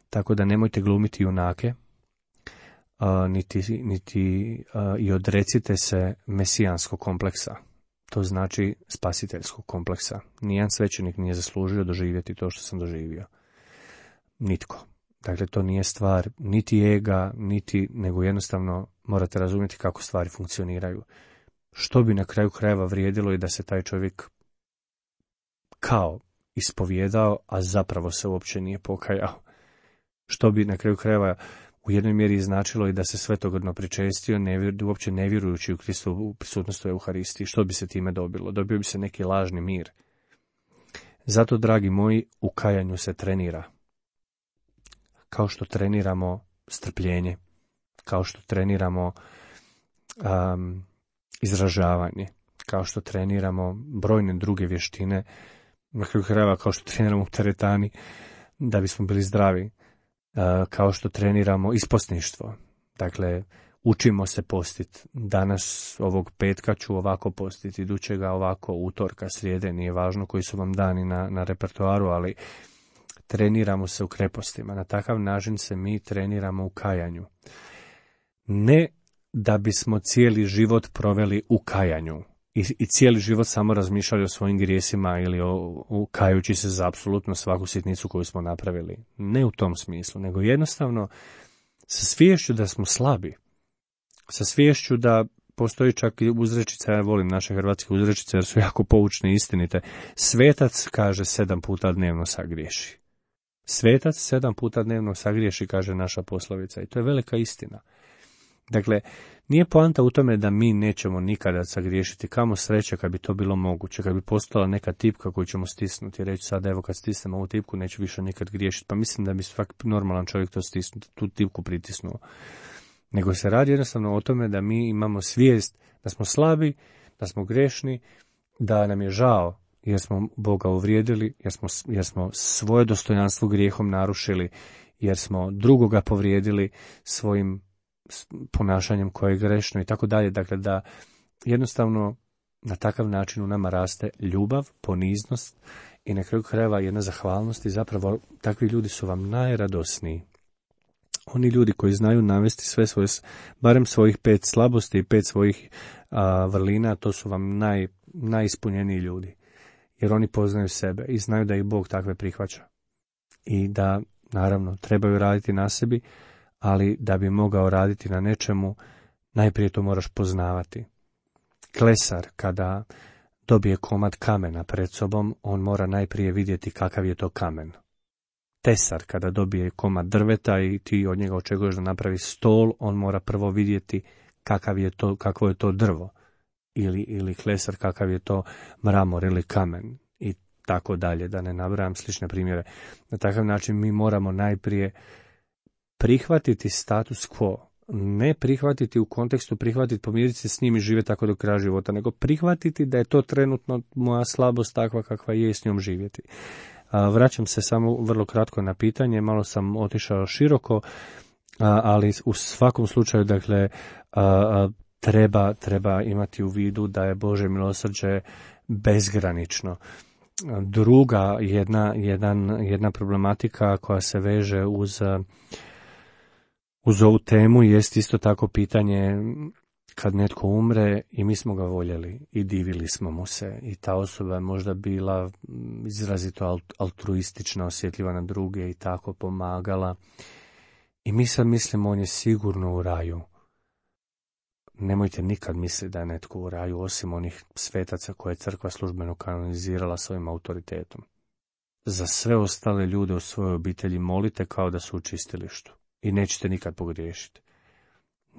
Tako da nemojte glumiti junake, niti i odrecite se mesijanskog kompleksa. To znači spasiteljskog kompleksa. Nijedan svećenik nije zaslužio doživjeti to što sam doživio. Nitko. Dakle, to nije stvar niti ega, nego jednostavno morate razumjeti kako stvari funkcioniraju. Što bi na kraju krajeva vrijedilo i da se taj čovjek kao ispovjedao, a zapravo se uopće nije pokajao. Što bi na kraju krajeva u jednoj mjeri značilo i da se svetogrdno pričestio, uopće ne vjerujući u Kristovu prisutnost u Euharistiji. Što bi se time dobilo? Dobio bi se neki lažni mir. Zato, dragi moji, u kajanju se trenira. Kao što treniramo strpljenje, kao što treniramo izražavanje, kao što treniramo brojne druge vještine, na kraju krajeva kao što treniramo u teretani da bismo bili zdravi, kao što treniramo isposništvo. Dakle, učimo se postiti. Danas ovog petka ću ovako postiti, idućega ovako, utorka, srijede, nije važno koji su vam dani na repertoaru, ali treniramo se u krepostima. Na takav način se mi treniramo u kajanju. Ne da bismo cijeli život proveli u kajanju i cijeli život samo razmišljali o svojim grijesima ili kajući se za apsolutno svaku sitnicu koju smo napravili. Ne u tom smislu, nego jednostavno sa sviješću da smo slabi. Sa sviješću da postoji čak i uzrečica, ja volim naše hrvatske uzrečice jer su jako poučne i istinite. Svetac kaže 7 puta dnevno sagriješi. Svetac 7 puta dnevno sagriješi, kaže naša poslovica, i to je velika istina. Dakle, nije poanta u tome da mi nećemo nikada sagriješiti, kamo sreće kad bi to bilo moguće, kad bi postala neka tipka koju ćemo stisnuti i reći sad evo kad stisnem ovu tipku neću više nikad griješiti, pa mislim da bi svaki normalan čovjek to stisnuti, tu tipku pritisnuo. Nego se radi jednostavno o tome da mi imamo svijest da smo slabi, da smo grešni, da nam je žao jer smo Boga uvrijedili, jer smo svoje dostojanstvo grijehom narušili, jer smo drugoga povrijedili svojim ponašanjem koje je grešno i tako dalje. Dakle, da jednostavno na takav način u nama raste ljubav, poniznost i na kraju krajeva jedna zahvalnost i zapravo takvi ljudi su vam najradosniji. Oni ljudi koji znaju navesti sve svoje, barem svojih 5 slabosti i 5 svojih vrlina, to su vam najispunjeniji ljudi. Jer oni poznaju sebe i znaju da ih Bog takve prihvaća. I da, naravno, trebaju raditi na sebi, ali da bi mogao raditi na nečemu, najprije to moraš poznavati. Klesar, kada dobije komad kamena pred sobom, on mora najprije vidjeti kakav je to kamen. Tesar, kada dobije komad drveta i ti od njega očekuješ da napravi stol, on mora prvo vidjeti kakvo je to drvo. Ili klesar, kakav je to mramor ili kamen. I tako dalje, da ne nabrajam slične primjere. Na takav način mi moramo najprije prihvatiti status quo, ne prihvatiti u kontekstu prihvatiti, pomiriti se s njim i živjeti tako do kraja života, nego prihvatiti da je to trenutno moja slabost takva kakva je i s njom živjeti. Vraćam se samo vrlo kratko na pitanje, malo sam otišao široko, ali u svakom slučaju, dakle, treba imati u vidu da je Božje milosrđe bezgranično. Druga jedna problematika koja se veže uz ovu temu jest isto tako pitanje kad netko umre i mi smo ga voljeli i divili smo mu se i ta osoba je možda bila izrazito altruistična, osjetljiva na druge i tako pomagala i mi sad mislimo on je sigurno u raju. Nemojte nikad misliti da je netko u raju osim onih svetaca koje je crkva službeno kanonizirala svojim autoritetom. Za sve ostale ljude u svojoj obitelji molite kao da su u čistilištu i nećete nikad pogriješiti.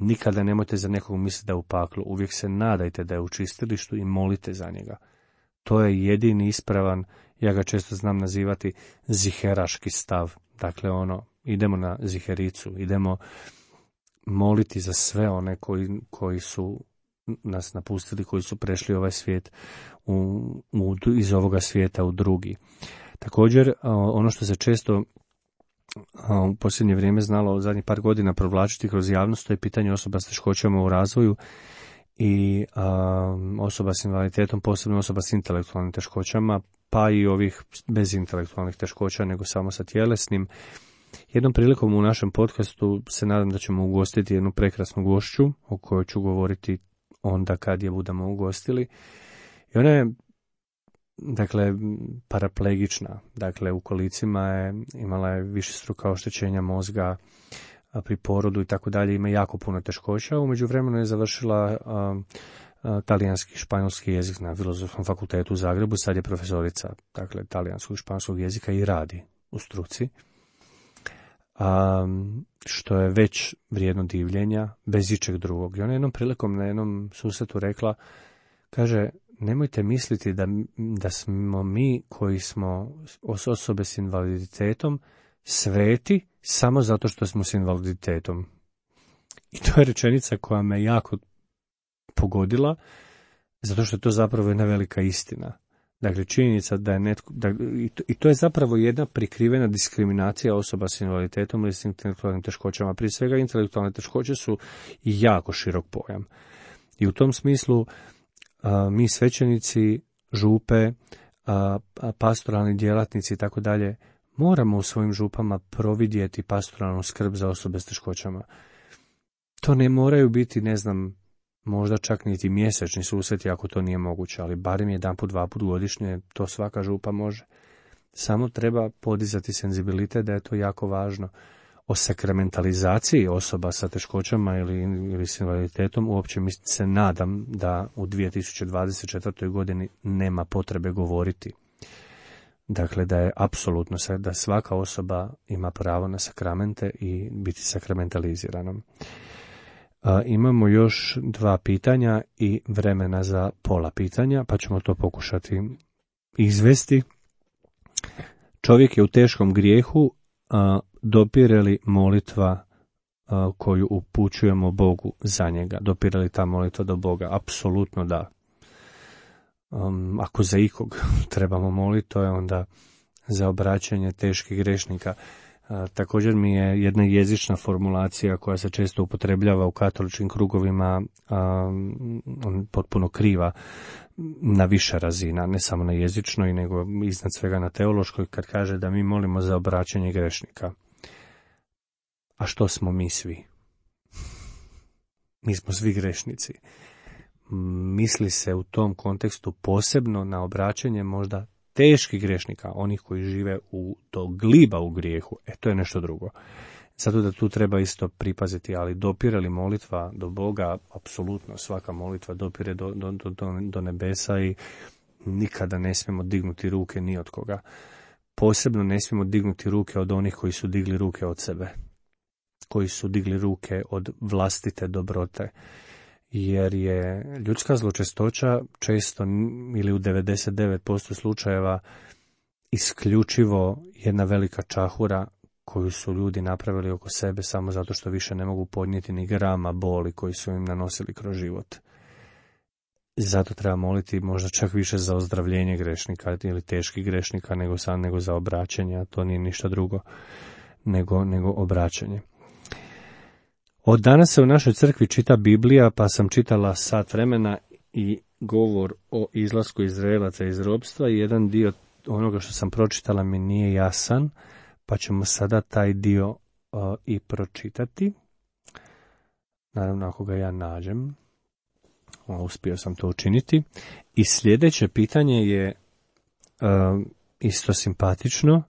Nikada nemojte za nekog misliti da je u paklu, uvijek se nadajte da je u čistilištu i molite za njega. To je jedini ispravan, ja ga često znam nazivati ziheraški stav. Dakle, idemo na zihericu, idemo moliti za sve one koji su nas napustili, koji su prešli ovaj svijet iz ovoga svijeta u drugi. Također, ono što se često u posljednje vrijeme znalo zadnjih par godina provlačiti kroz javnost, to je pitanje osoba s teškoćama u razvoju i osoba s invaliditetom, posebno osoba s intelektualnim teškoćama, pa i ovih bez intelektualnih teškoća, nego samo sa tjelesnim. Jednom prilikom u našem podcastu se nadam da ćemo ugostiti jednu prekrasnu gošću o kojoj ću govoriti onda kad je budemo ugostili. I ona je, dakle, paraplegična. Dakle, u kolicima imala je višestruka oštećenja mozga pri porodu i tako dalje. Ima jako puno teškoća. U međuvremenu je završila talijanski i španjolski jezik na Filozofskom fakultetu u Zagrebu. Sad je profesorica, dakle, talijanskog i španjolskog jezika i radi u struci. Što je već vrijedno divljenja, bez ičeg drugog. I ona jednom prilikom na jednom susretu rekla, kaže, nemojte misliti da smo mi koji smo osobe s invaliditetom sveti samo zato što smo s invaliditetom. I to je rečenica koja me jako pogodila, zato što je to zapravo jedna velika istina. Dakle, činjenica da je netko, i to je zapravo jedna prikrivena diskriminacija osoba s invaliditetom ili s intelektualnim teškoćama. Prije svega, intelektualne teškoće su jako širok pojam. I u tom smislu mi svećenici, župe, pastoralni djelatnici i tako dalje, moramo u svojim župama providjeti pastoralnu skrb za osobe s teškoćama. To ne moraju biti, ne znam, možda čak niti mjesečni susreti ako to nije moguće, ali barem 1-2 godišnje to svaka župa može. Samo treba podizati senzibilitet da je to jako važno. O sakramentalizaciji osoba sa teškoćama ili s invaliditetom uopće se nadam da u 2024. godini nema potrebe govoriti. Dakle, da je apsolutno da svaka osoba ima pravo na sakramente i biti sakramentalizirana. Imamo još 2 pitanja i vremena za pola pitanja, pa ćemo to pokušati izvesti. Čovjek je u teškom grijehu, dopire li molitva koju upućujemo Bogu za njega? Dopire li ta molitva do Boga? Apsolutno da. Ako za ikog trebamo moliti, to je onda za obraćanje teških grešnika. Također mi je jedna jezična formulacija koja se često upotrebljava u katoličkim krugovima potpuno kriva na više razina, ne samo na jezičnoj, nego iznad svega na teološkoj, kad kaže da mi molimo za obraćanje grešnika. A što smo mi svi? Mi smo svi grešnici. Misli se u tom kontekstu posebno na obraćanje možda teških grešnika, onih koji žive do gliba u grijehu, to je nešto drugo. Zato da tu treba isto pripaziti, ali dopire li molitva do Boga? Apsolutno, svaka molitva dopire do nebesa i nikada ne smijemo dignuti ruke ni od koga. Posebno ne smijemo dignuti ruke od onih koji su digli ruke od sebe, koji su digli ruke od vlastite dobrote. Jer je ljudska zločestoća često ili u 99% slučajeva isključivo jedna velika čahura koju su ljudi napravili oko sebe samo zato što više ne mogu podnijeti ni grama boli koji su im nanosili kroz život. Zato treba moliti možda čak više za ozdravljenje grešnika ili teških grešnika nego za obraćanje, a to nije ništa drugo nego obraćanje. Od danas se u našoj crkvi čita Biblija, pa sam čitala sat vremena i govor o izlasku Izraelaca iz ropstva i jedan dio onoga što sam pročitala mi nije jasan, pa ćemo sada taj dio i pročitati. Naravno, ako ga ja nađem, uspio sam to učiniti. I sljedeće pitanje je isto simpatično,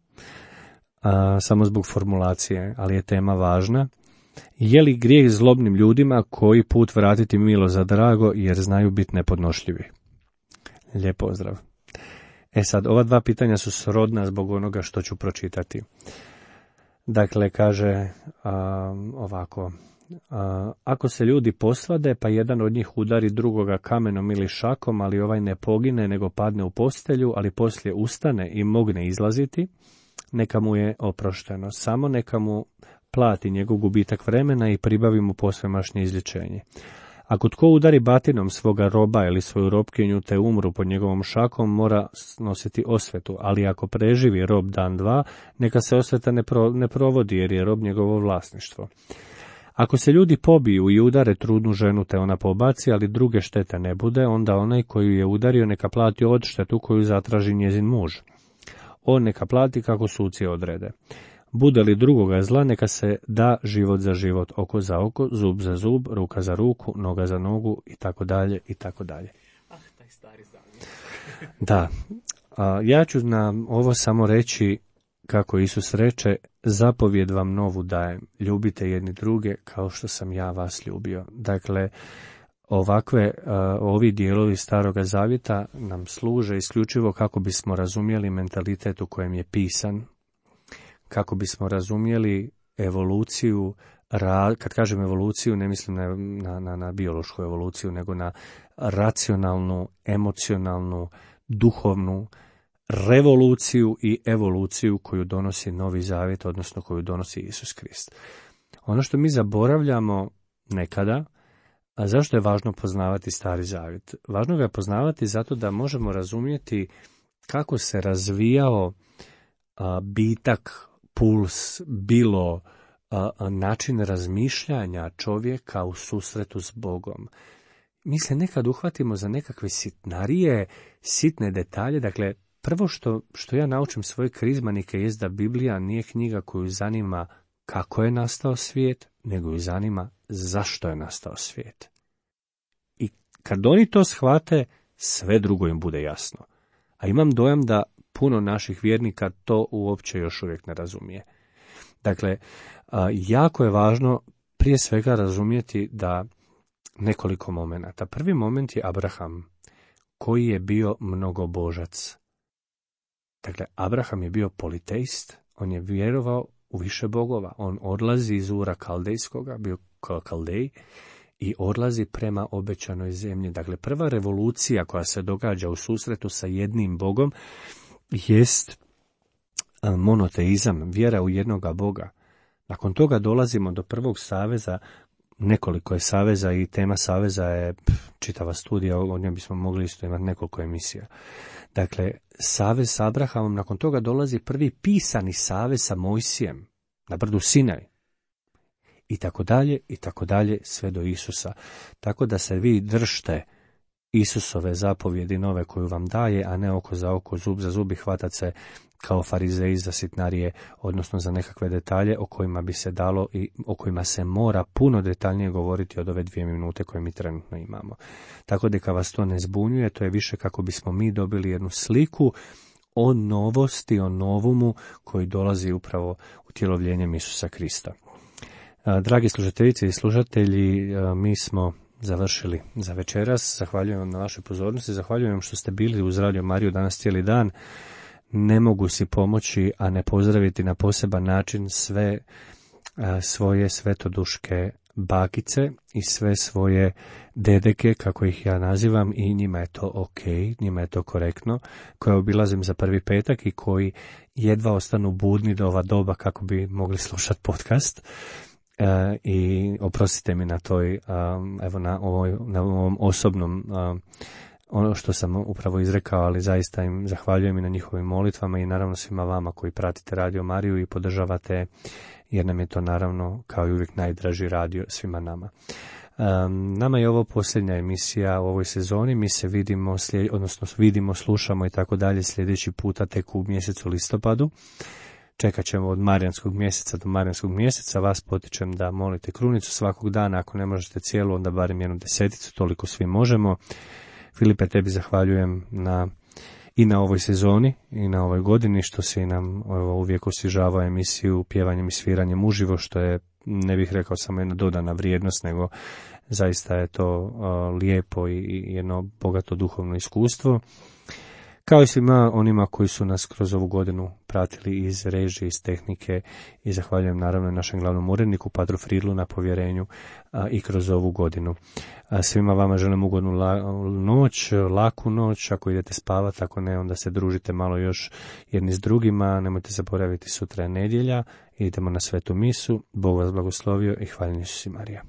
samo zbog formulacije, ali je tema važna. Je li grijeh zlobnim ljudima koji put vratiti milo za drago jer znaju biti nepodnošljivi? Lijep pozdrav. Sad, ova 2 pitanja su srodna zbog onoga što ću pročitati. Dakle, kaže ovako. Ako se ljudi posvade, pa jedan od njih udari drugoga kamenom ili šakom, ali ovaj ne pogine, nego padne u postelju, ali poslije ustane i mogne izlaziti, neka mu je oprošteno. Samo neka mu plati njegov gubitak vremena i pribavi mu posvemašnje izlječenje. Ako tko udari batinom svoga roba ili svoju robkinju te umru pod njegovom šakom, mora nositi osvetu, ali ako preživi rob dan 2, neka se osveta ne provodi jer je rob njegovo vlasništvo. Ako se ljudi pobiju i udare trudnu ženu te ona pobaci, ali druge štete ne bude, onda onaj koji je udario neka plati odštetu koju zatraži njezin muž. On neka plati kako suci odrede. Bude li drugoga zla, neka se da život za život, oko za oko, zub za zub, ruka za ruku, noga za nogu i tako dalje i tako dalje. Taj stari zavjet. Da, ja ću na ovo samo reći kako Isus reče, zapovjed vam novu dajem, ljubite jedni druge kao što sam ja vas ljubio. Dakle, ovi dijelovi Staroga Zavjeta nam služe isključivo kako bismo razumjeli mentalitet u kojem je pisan, kako bismo razumjeli evoluciju, kad kažem evoluciju ne mislim na biološku evoluciju, nego na racionalnu, emocionalnu, duhovnu revoluciju i evoluciju koju donosi Novi Zavjet, odnosno koju donosi Isus Krist. Ono što mi zaboravljamo nekada, a zašto je važno poznavati Stari Zavjet? Važno ga je poznavati zato da možemo razumjeti kako se razvijao bitak, puls, bilo način razmišljanja čovjeka u susretu s Bogom. Mi se nekad uhvatimo za nekakve sitnarije, sitne detalje. Dakle, prvo što ja naučim svoje krizmanike jest da Biblija nije knjiga koju zanima kako je nastao svijet, nego ju zanima zašto je nastao svijet. I kad oni to shvate, sve drugo im bude jasno. A imam dojam da puno naših vjernika to uopće još uvijek ne razumije. Dakle, jako je važno prije svega razumjeti da nekoliko momenata. Prvi moment je Abraham, koji je bio mnogobožac. Dakle, Abraham je bio politeist, on je vjerovao u više bogova. On odlazi iz Ura Kaldejskoga, bio Kaldej, i odlazi prema obećanoj zemlji. Dakle, prva revolucija koja se događa u susretu sa jednim Bogom jest monoteizam, vjera u jednoga Boga. Nakon toga dolazimo do prvog saveza. Nekoliko je saveza i tema saveza je čitava studija, o njoj bismo mogli isto imati nekoliko emisija. Dakle, savez s Abrahamom, nakon toga dolazi prvi pisani savez sa Mojsijem na brdu Sinaj. I tako dalje, sve do Isusa. Tako da se vi držte Isusove zapovjedi nove koju vam daje, a ne oko za oko, zub za zub i hvatat se kao farizeji za sitnarije, odnosno za nekakve detalje o kojima bi se dalo i o kojima se mora puno detaljnije govoriti od ove 2 minute koje mi trenutno imamo. Tako da vas to ne zbunjuje, to je više kako bismo mi dobili jednu sliku o novosti, o novumu koji dolazi upravo utjelovljenjem Isusa Krista. Dragi slušateljice i slušatelji, mi smo završili za večeras. Zahvaljujem vam na vašoj pozornosti, zahvaljujem vam što ste bili uz Radio Mariju danas cijeli dan. Ne mogu si pomoći, a ne pozdraviti na poseban način sve svoje svetoduške bakice i sve svoje dedeke, kako ih ja nazivam, i njima je to ok, njima je to korektno, koje obilazim za prvi petak i koji jedva ostanu budni do ova doba kako bi mogli slušati podcast. I oprostite mi na toj, evo na ovom osobnom ono što sam upravo izrekao, ali zaista im zahvaljujem i na njihovim molitvama i naravno svima vama koji pratite Radio Mariju i podržavate, jer nam je to naravno kao i uvijek najdraži radio svima nama. Nama je ovo posljednja emisija u ovoj sezoni, mi se vidimo, slušamo i tako dalje sljedeći puta tek u mjesecu listopadu. Čekat ćemo od Marijanskog mjeseca do Marijanskog mjeseca. Vas potičem da molite krunicu svakog dana, ako ne možete cijelu, onda barem 1/10, toliko svi možemo. Filipe, tebi zahvaljujem i na ovoj sezoni i na ovoj godini što si nam uvijek osvježavao emisiju pjevanjem i sviranjem uživo, što je, ne bih rekao samo jedna dodana vrijednost, nego zaista je to lijepo i jedno bogato duhovno iskustvo. Kao i svima onima koji su nas kroz ovu godinu pratili iz režije, iz tehnike, i zahvaljujem naravno našem glavnom uredniku, Padru Fridlu, na povjerenju i kroz ovu godinu. Svima vama želim ugodnu noć, laku noć, ako idete spavati, ako ne, onda se družite malo još jedni s drugima, nemojte zaboraviti, sutra je nedjelja, idemo na svetu misu, Bog vas blagoslovio i hvaljen Isus i Marija.